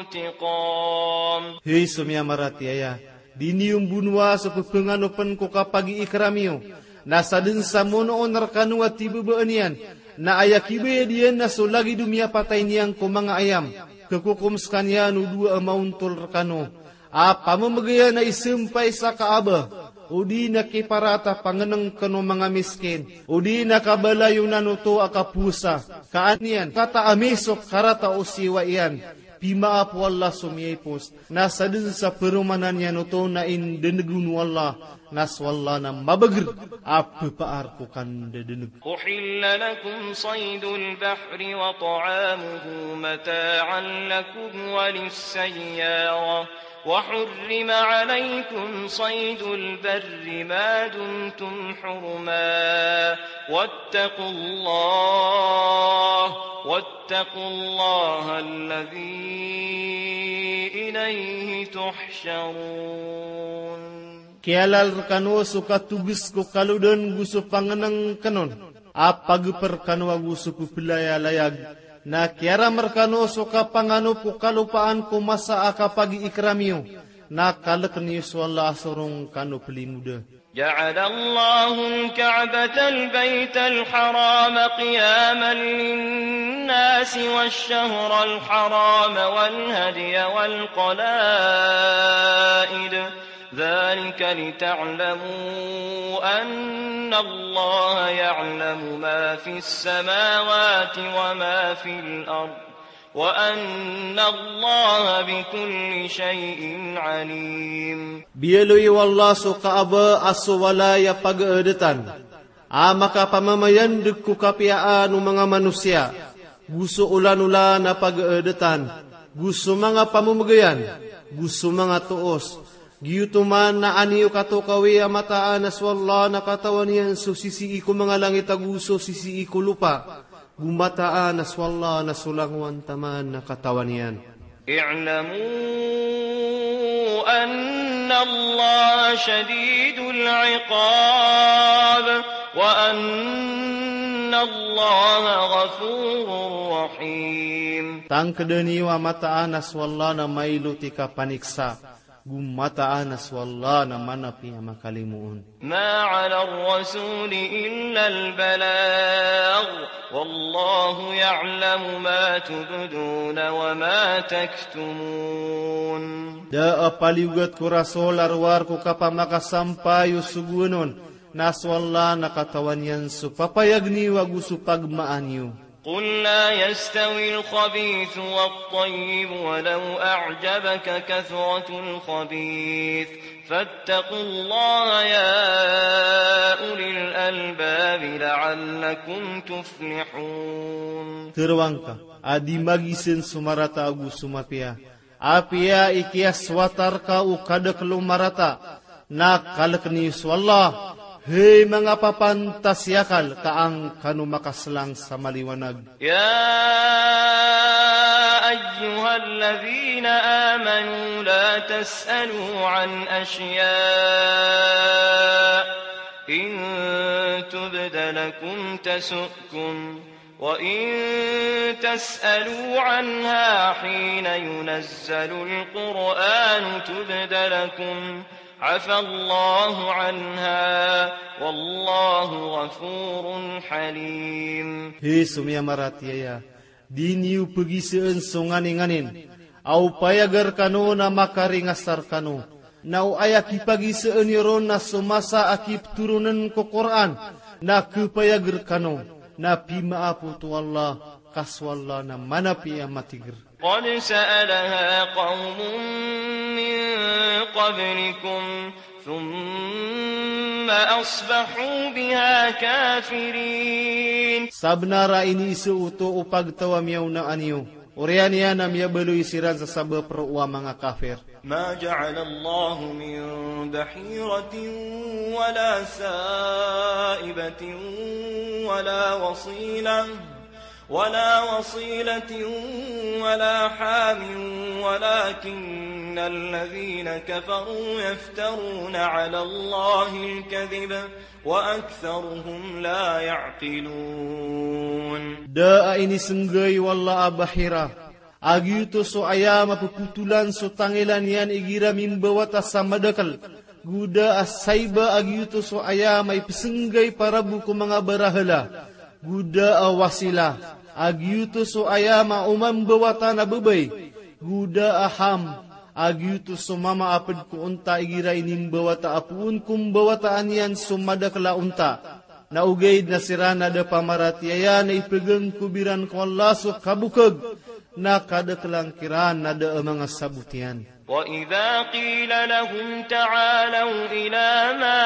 انتقام. Hay so miyamaratiyaya, di niyo mbonoa so pphanganopen ko kapagiikram iyo, na sadn sa monoon rkano a tibabaan iyan, na aya kibayad iyan na so lagid o miyapatay niyan ko manga ayam, khakokom skaniyan o dowa a maontol rkano a pamamagayan a isampay sa Kaaba, odi na kiparat a pangnngkn o manga miskin, odi na kabalayonan oto a kapowasa, ka an iyan kataami so karata o siyowa iyan, pimaap o Allah so miyaipos, na sadn sa paromanan iyan oto na indndg on o Allah, na so Allah na mabagr a pphar ko kandadndg. أحل لكم صيد البحر وطعامه متاعا لكم وللسيارة وحرم عليكم صيد البر ما دمتم حرما واتقوا الله واتقوا الله الذي إليه تحشرون. Kiyalal rkano so katogos ko kalodan go so pangnngkn on a pagpr kano ago so pplayalayag, na kiyaram rkano so kapanganop o kalopaan ko masa a kapagiikram iyo, na kalkn iyo so Allah a sorong kano plimoda. جعل الله الكعبة البيت الحرام قياما للناس والشهر الحرام والهدي والقلائد ذلك لتعلموا أن الله يعلم ما في السماوات وما في الأرض وأن الله بكل شيء عليم. Biyaloy o Allah so Kaaba a so walay a pagaadatan a makapamamayandg ko kapiyaan o manga manosiya, go so olanolan a pagaadatan, go so manga pamamagayan, go so manga toos. Giyoto man na an iyo katokawi a mataan a so Allah na katawan iyan so sisii ko manga langit ago so sisii ko lopa. Go mataan a so Allah na so langowan taman na katawan iyan. اعلموا أن الله شديد العقاب وأن الله غفور رحيم. Tangkdn iyo a mataan a so Allah na mailot i kapaniksa, go mataan a so Allah na manapi a makalimoon. ما على الرسول إلا البلاغ والله يعلم ما تبدون وما تكتمون. Da a paliyogat ko Rasul a rowar ko kapamakasampay o sogoan on, na so Allah na katawan iyan so papayag niyo ago so pagmaan iyo. قل لا يستوي الخبيث والطيب ولو أعجبك كثرة الخبيث فاتقوا الله يا أولي الألباب لعلكم تفلحون. Tharoang ka a di magisn so marata ago so mapiya, apiya i kiyaswata rka o kadakl o marata, na kalkn iyo so Allah, hay manga papantas i akal, ka an kano makaslang sa maliwanag. يا أيها الذين آمنوا لا تسألوا عن أشياء إن تبد لكم تسؤكم وإن تسألوا عنها حين ينزل القرآن تبد لكم عفا الله عنها والله غفور حليم. Hay so miyamaratiyaya, di niyo pgisn so nganin-nganin a opayag rkano na makaringas rkano, na o aya kipagisn iyo ron na so masa a kiptoronn ko Qur'an, na khapayag rkano, na pimaap oto o Allah, ka so Allah na manapi a matigr. قد سألها قوم من قبلكم ثم أصبحوا بها كافرين. Sabnar a iniiza oto o pagtaw a miyaonaan iyo, oriyan iyan na miyabaloy siran sa sabap roo a manga kafir. ما جعل الله من بحيرة ولا سائبة ولا وصيلة ولا وصيلة ولا حام ولكن الذين كفروا يفترون على الله الكذب وأكثرهم لا يعقلون. Da a inisnggay o Allah a bahira, a giyoto so aya mapphotolan so tangilan iyan igira mimbawata sa madakl, go da a saiba a giyoto so aya maipsnggay para bo ko manga barahala, go da a wasila, a giyoto so aya maoma mbawata na babay, go da a ham, a giyoto so mama a pd ko onta igira inimbawata a poon ko mbawataan iyan so madakl a onta. Na ogaid na siran a da pamaratiyaya na ipgngkob iran ko Allah so kabokg, na kadaklan kiran a da a manga sabot iyan. وإذا قيل لهم تعالوا إلى ما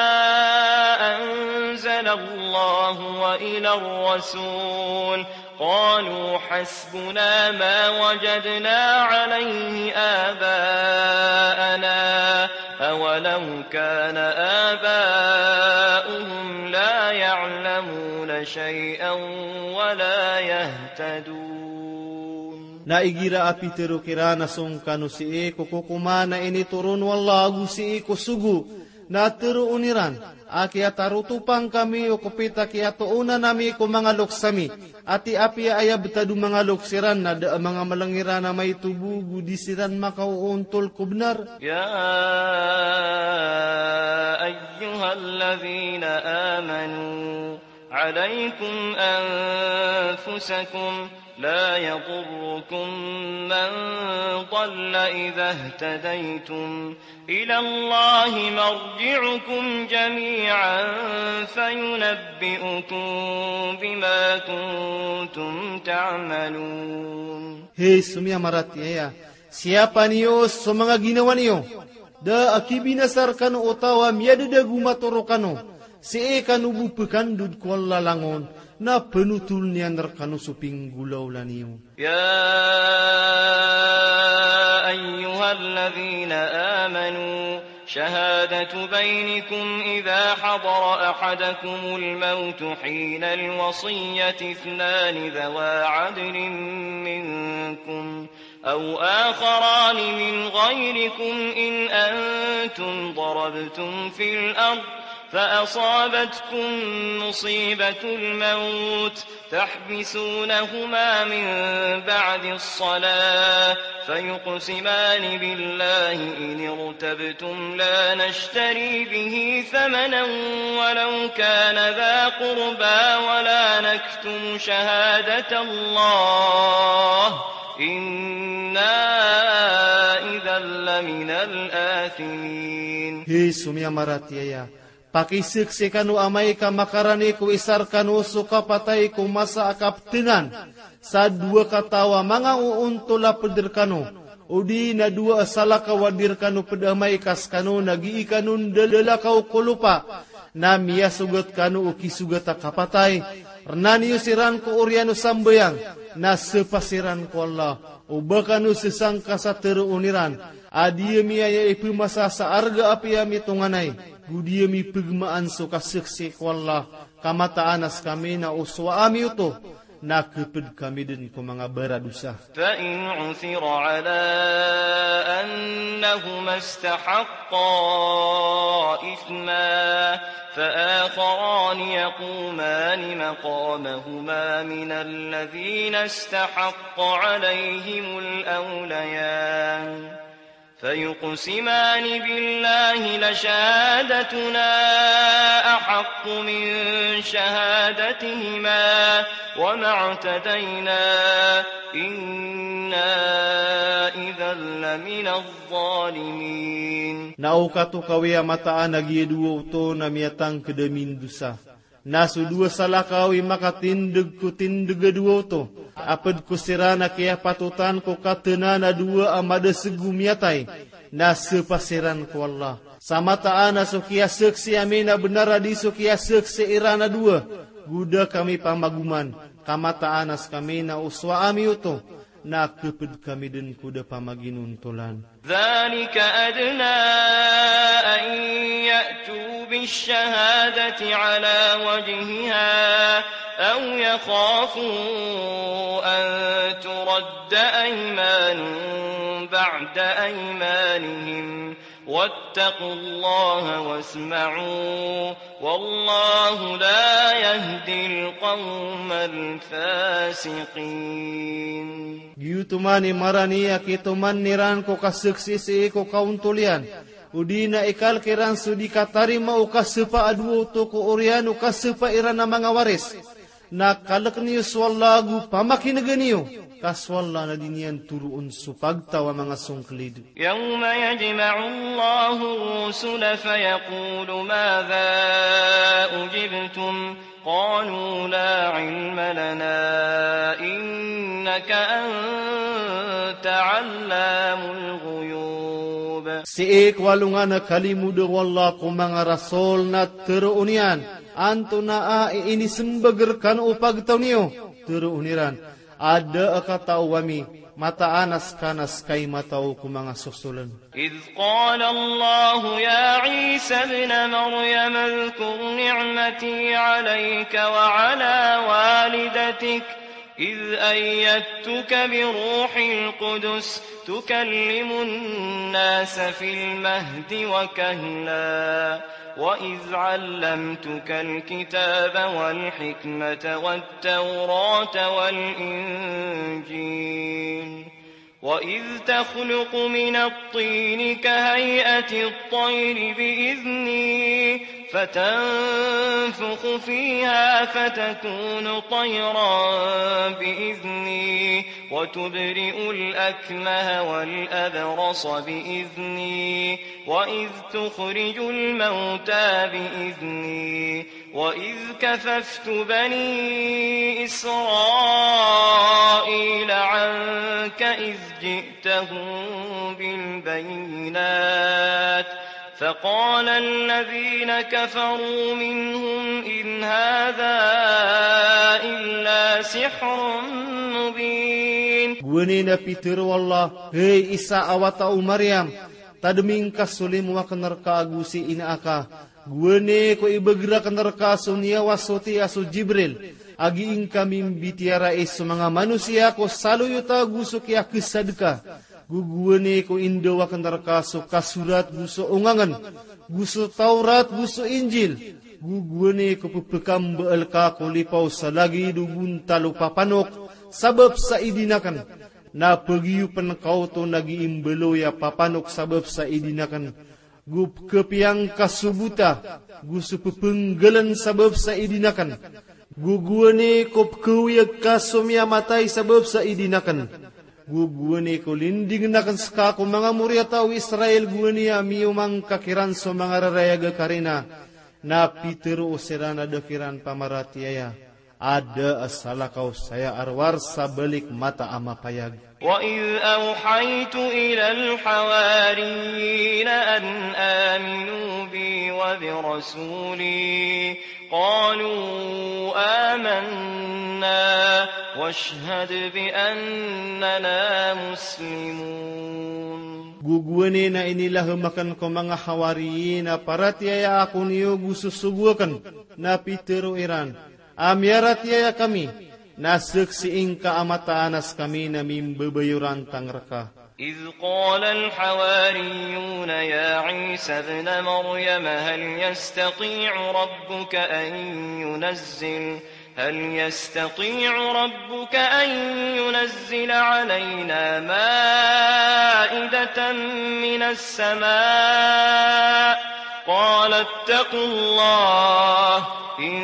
أنزل الله وإلى الرسول قالوا حسبنا ما وجدنا عليه آباءنا أولو كان آباؤهم لا يعلمون شيئا ولا يهتدون. Na igira a pitharo kiran a song kano sii ko kokoman a initoron o Allah ago sii ko sogo, na tharoon iran a kiyatarotopan kami o kopit a kiyatoonan ami ko manga loks ami, ati apiya aya btad o manga loks iran na da a manga mlng iran a maito bo go di siran makaoontol ko bnar. يا أيها الذين آمنوا عليكم أنفسكم لا يضركم من ضل إذا اهتديتم إلى الله مرجعكم جميعا فينبئكم بما كنتم تعملون. Hay so miyamaratiyaya, siyapa niyo so manga ginawa niyo. Da a kibinasa rkano o taw a miyadadago matoro kano, sii kano bo pkandod ko Allah langon, na pnotoln iyan rkano so pinggolawla niyo. يا أيها الذين آمنوا شهادة بينكم إذا حضر أحدكم الموت حين الوصية اثنان ذوا عدل منكم أو آخران من غيركم إن أنتم ضربتم في الأرض فأصابتكم مصيبة الموت تحبسونهما من بعد الصلاة فيقسمان بالله إن ارتبتم لا نشتري به ثمنا ولو كان ذا قربى ولا نكتم شهادة الله إنا إذا لمن الآثمين. Hay so miyamaratiyaya, pakiseksi kano amay ka makarani ko isa rkano so kapatay ko masa a kaptngan sa dowa kataw a manga oontol a pd rkano, odi na dowa a salakaw a di rkano pd amay ka skano na gii kano ndalakaw ko lopa, na miyasogat kano o kisogat a kapatay, rna niyo siran ko oriyan o sambayang, na sapa siran ko Allah, o ba kano sasangka sa tharoon iran a di ami aya ipmasa sa arga apiya mitonganay, go di ami pgmaan so kaseksi ko Allah, ka mataan a skami na o sowa ami oto, na khapd kami dn ko manga baradosa. فإن عثر على أنهما استحقا إثما فآخران يقومان مقامهما من الذين استحق عليهم الأوليان فيقسمان بالله لشهادتنا أحق من شهادتهما وما اعتدينا إنا إذا لمن الظالمين. Na o katokawi a mataan a giya dowa oto na miyatangkd a mindosa. Na so dowa salakaw i makatindg ko tindg a dowa oto, a pd ko siran a kiyapatotan ko katnan a dowa a madasg o miyatay, na sapa siran ko Allah. Sa mataan a so kiyasaksi ami na bnar a di so kiyasaksi iran a dowa, go da kami pamagoman, ka mataan a skami na o sowa ami oto, na khapd kami dn ko da pamaginontolan. ذلك أدنى أن يأتوا الشهادة على وجهها أو يخافوا أن ترد أيمان بعد أيمانهم واتقوا الله واسمعوا والله لا يهدي القوم الفاسقين. Giyoto man i marani a kitoman iran ko kasaksi sii ko kaontol iyan, odi na ikalk iran so di katarima o kasapa a dowa oto ko oriyan o kasapa iran a manga waris. Na kalkn iyo so Allah ago pamakinega niyo, ka so Allah na di niyan toroon so pagtaw a manga songklid. يوم يجمع الله الرسل فيقول ماذا أجبتم قالوا لا علم لنا إنك أنت علام الغيوب. Sii ko alongan a kalimod o Allah ko manga rasol na toroon iyan, antonaa i inismbag rkano o pagtaw niyo? Toroon iran, adn a katao ami, mataan a ska na ska i matao ko manga sosoln. إذ قال الله يا عيسى ابن مريم اذكر نعمتي عليك وعلى والدتك إذ أيدتك بروح القدس تكلم الناس في المهد وكهلا وإذ علمتك الكتاب والحكمة والتوراة والإنجيل وإذ تخلق من الطين كهيئة الطير بإذني فتنفخ فيها فتكون طيرا بإذني وتبرئ الأكمه والأبرص بإذني وإذ تخرج الموتى بإذني وإذ كففت بني إسرائيل عنك إذ جئتهم بالبينات فقال الذين كفروا منهم إن هذا إلا سحر مبين. Gowani na pitharo o Allah, hay Isa a wata o Maryam, tadmi ngka so limo akn rka ago si ina aka, gowani ko ibagr akn rka so niyawa soti a so Jibril, a gii ngka mimbitiyarai so manga manosiya ko saloyot ago so kiyakesadka, go gowani ko indaw akn rka so kasorat go so ongangn, go so Tawrat go so Injil, go gowani ko ppkambaal ka ko lipaw sa lagid o bontal o papanok sabap sa idin akn, na pagiyopn ka oto na gii mbaloy a papanok sabap sa idin akn, go pkhapiyang ka so bota, go so ppnggaln sabap sa idin akn, go gowani ko pkhaoyag ka so miyamatay sabap sa idin akn, go gowani ko lindingn akn ska ko manga moriyataw o Israil gowani a miyomangka kiran so manga rarayag a karina, na pitharo o siran a da kiran pamaratiyaya. Adn a salakaw saya a rowar sa balik mata a mapayag. وإذ أوحيت إلى الحواريين أن آمنوا بي وبرسولي قالوا آمنا واشهد بأننا مسلمون. Go gowani na inilahm akn ko manga hawariyin a paratiyaya ako niyo go sosogo akn, na pitharo iran, a miyaratiyaya kami, na saksii ngka a mataan a skami na mimbabayorantang rka. إذ قال الحواريون يا عيسى ابن مريم هل يستطيع ربك أن ينزل هل يستطيع ربك أن ينزل علينا مائدة من السماء قال اتقوا الله إن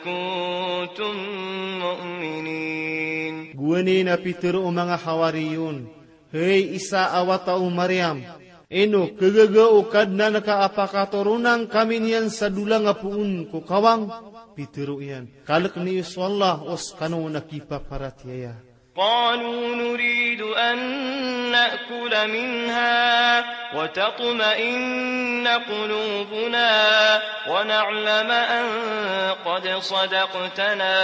كنتم مؤمنين. Gowani na pitharo o manga hawariyon, hay Isa a wata o Maryam, ino khagaga o Kadnan ka a pakatoronan kami niyan sa dolang a poon ko kawang? Pitharo iyan, kalk niyo so Allah o skano na kipaparatiyaya. قالوا نريد أن نأكل منها وتطمئن قلوبنا ونعلم أن قد صدقتنا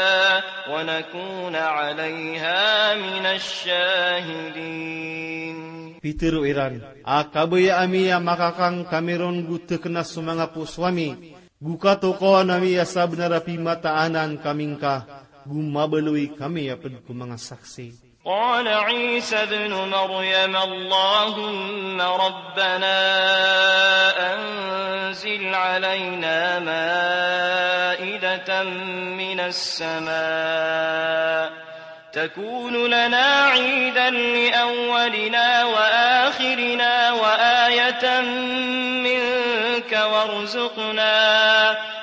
ونكون عليها من الشاهدين. Pitharo iran a kabaya ami a makakang kami ron go tekna so manga poso ami, go katokawan ami a sabnar a pimataanan kami ngka, go mabaloy kami a ped ko manga saksi. قال عيسى ابن مريم اللهم ربنا أنزل علينا مائدة من السماء تكون لنا عيدا لأولنا وآخرنا وآية منك وارزقنا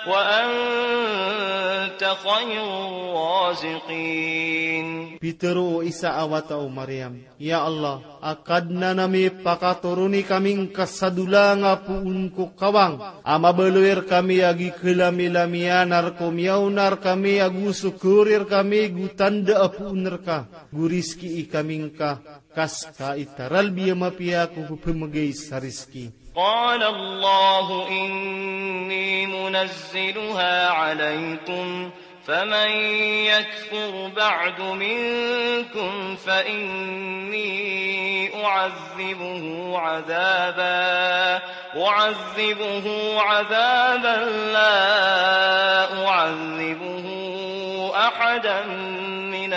وأنت خير الرازقين. Pitharo o Isa a wata o Maryam, Ya Allah, a Kadnan ami, pakatoroni kami ngka sa dolang a poon ko kawang a mabaloy rkami a gikalamilamiyaan a rkomiyaona rkami ago so kori rkami go tanda a poon rka, go rizkii kami ngka, ka ska i taralbi a mapiya ko pphemegay sa rizki. قال الله إني منزلها عليكم فمن يكفر بعد منكم فإني أعذبه عذابا أعذبه عذابا لا أعذبه أحدا من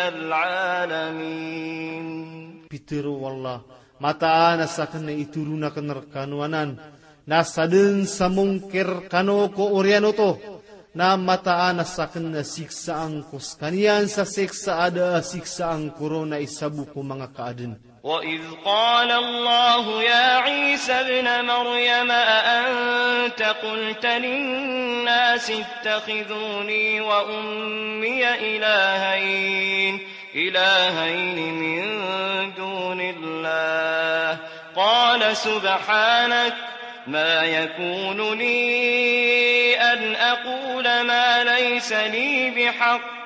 العالمين. Pitharo o Allah, mataan a saken na itoron aken rekano anan, na saden sa mongkir rekano ko oriyan oto, na mataan a saken na siksaan ko sekaniyan sa siksa a da a siksaan ko ron a isa bo ko manga kaaden. وإذ قال الله يا عيسى ابن مريم أأنت قلت للناس اتخذوني وأمي إلهين إلهين من دون الله قال سبحانك ما يكون لي أن أقول ما ليس لي بحق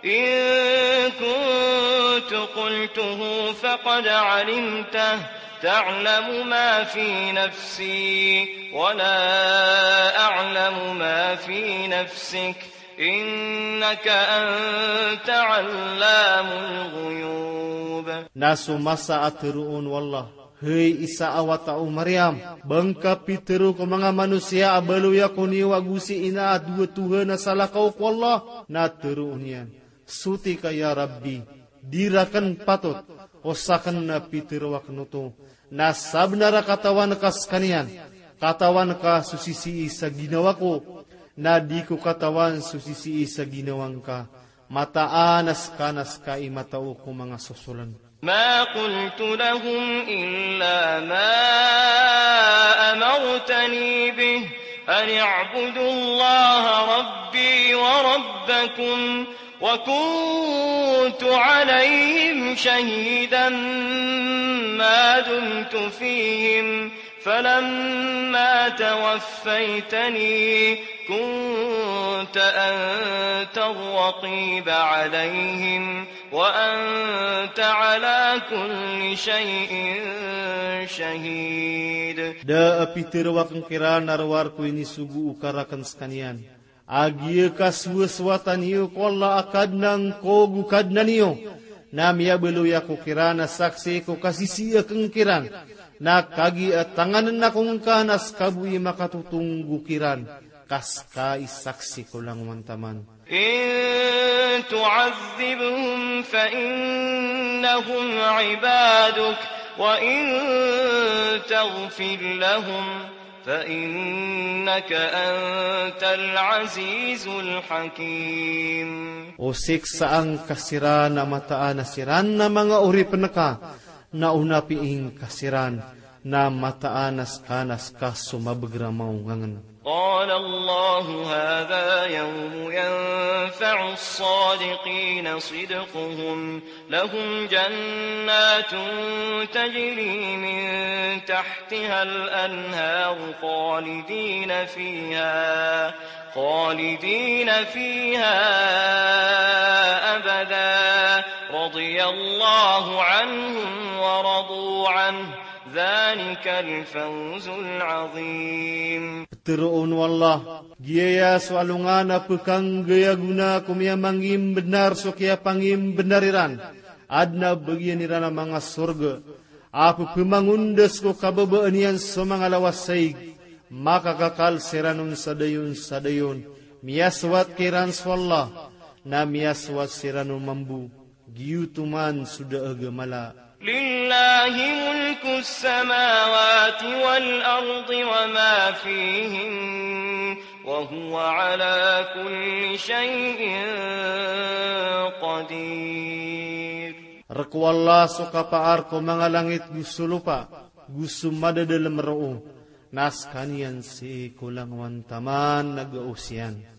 إن كنت قلته فقد علمته تعلم ما في نفسي ولا أعلم ما في نفسك إنك أنت علام الغيوب. Na so masa a tharoon o Allah, hay Isa a wata o Maryam, ba ngka pitharo ko manga manosiya a baloy ako niyo ago si ina a dowa tohan a salakaw ko Allah, na tharoon iyan, soti ka ya Rabbi, di raken patot o saken na pitharo aken oto, na sabnar a katawan ka sekaniyan, katawan ka so sisii sa ginawa ko, na di ko katawan so sisii sa ginawa ngka, mataan a ska na ska i matao ko manga sosolen. ما قلت لهم إلا ما أمرتني به أن اعبدوا الله ربي وربكم وكنت عليهم شهيدا ما دمت فيهم فلما توفيتني كنت أنت الرقيب عليهم وأنت على كل شيء شهيد. Da a pitharo aken kiran a rowar ko inisogo o ka raken sekaniyan a giya kasowasowatan iyo ko Allah a Kadnan ko go Kadnan iyo, na miyabaloy ako kiran a saksi ko kasisii aken kiran, na kagiya tanganen ako ngka na ska bo i makatotonggo kiran, ka ska i saksi ko langowan taman. إن تعذبهم فإنهم عبادك وإن تغفر لهم فإنك أنت العزيز الحكيم. O siksaan ka siran a mataan a siran na manga oripen ka, na o napiing ka siran, na mataan a ska na ska so mabeger a maongangen. قال الله هذا يوم ينفع الصادقين صدقهم لهم جنات تجري من تحتها الأنهار خالدين فيها خالدين فيها أبدا رضي الله عنهم ورضوا عنه، ذلك الفوز العظيم. Ptharoon o Allah, giyaya so alongan a pkhanggay a gona ko miyamangimbnar so kiyapangimbnar iran, adn a bagian iran a manga sorga, a pphamangondas ko kababaan iyan so manga lawasaig, makakakal siran on sa dayon sa dayon, miyasowat kiran so Allah, na miyasowat siran on mambo, giyoto man so da a gamala. لله ملك السماوات والأرض وما فيهن وهو على كل شيء قدير. Rk o Allah so kapaar ko manga langit go so lopa, go so madadalm roo, na skaniyan sii ko langowan taman a gaos iyan.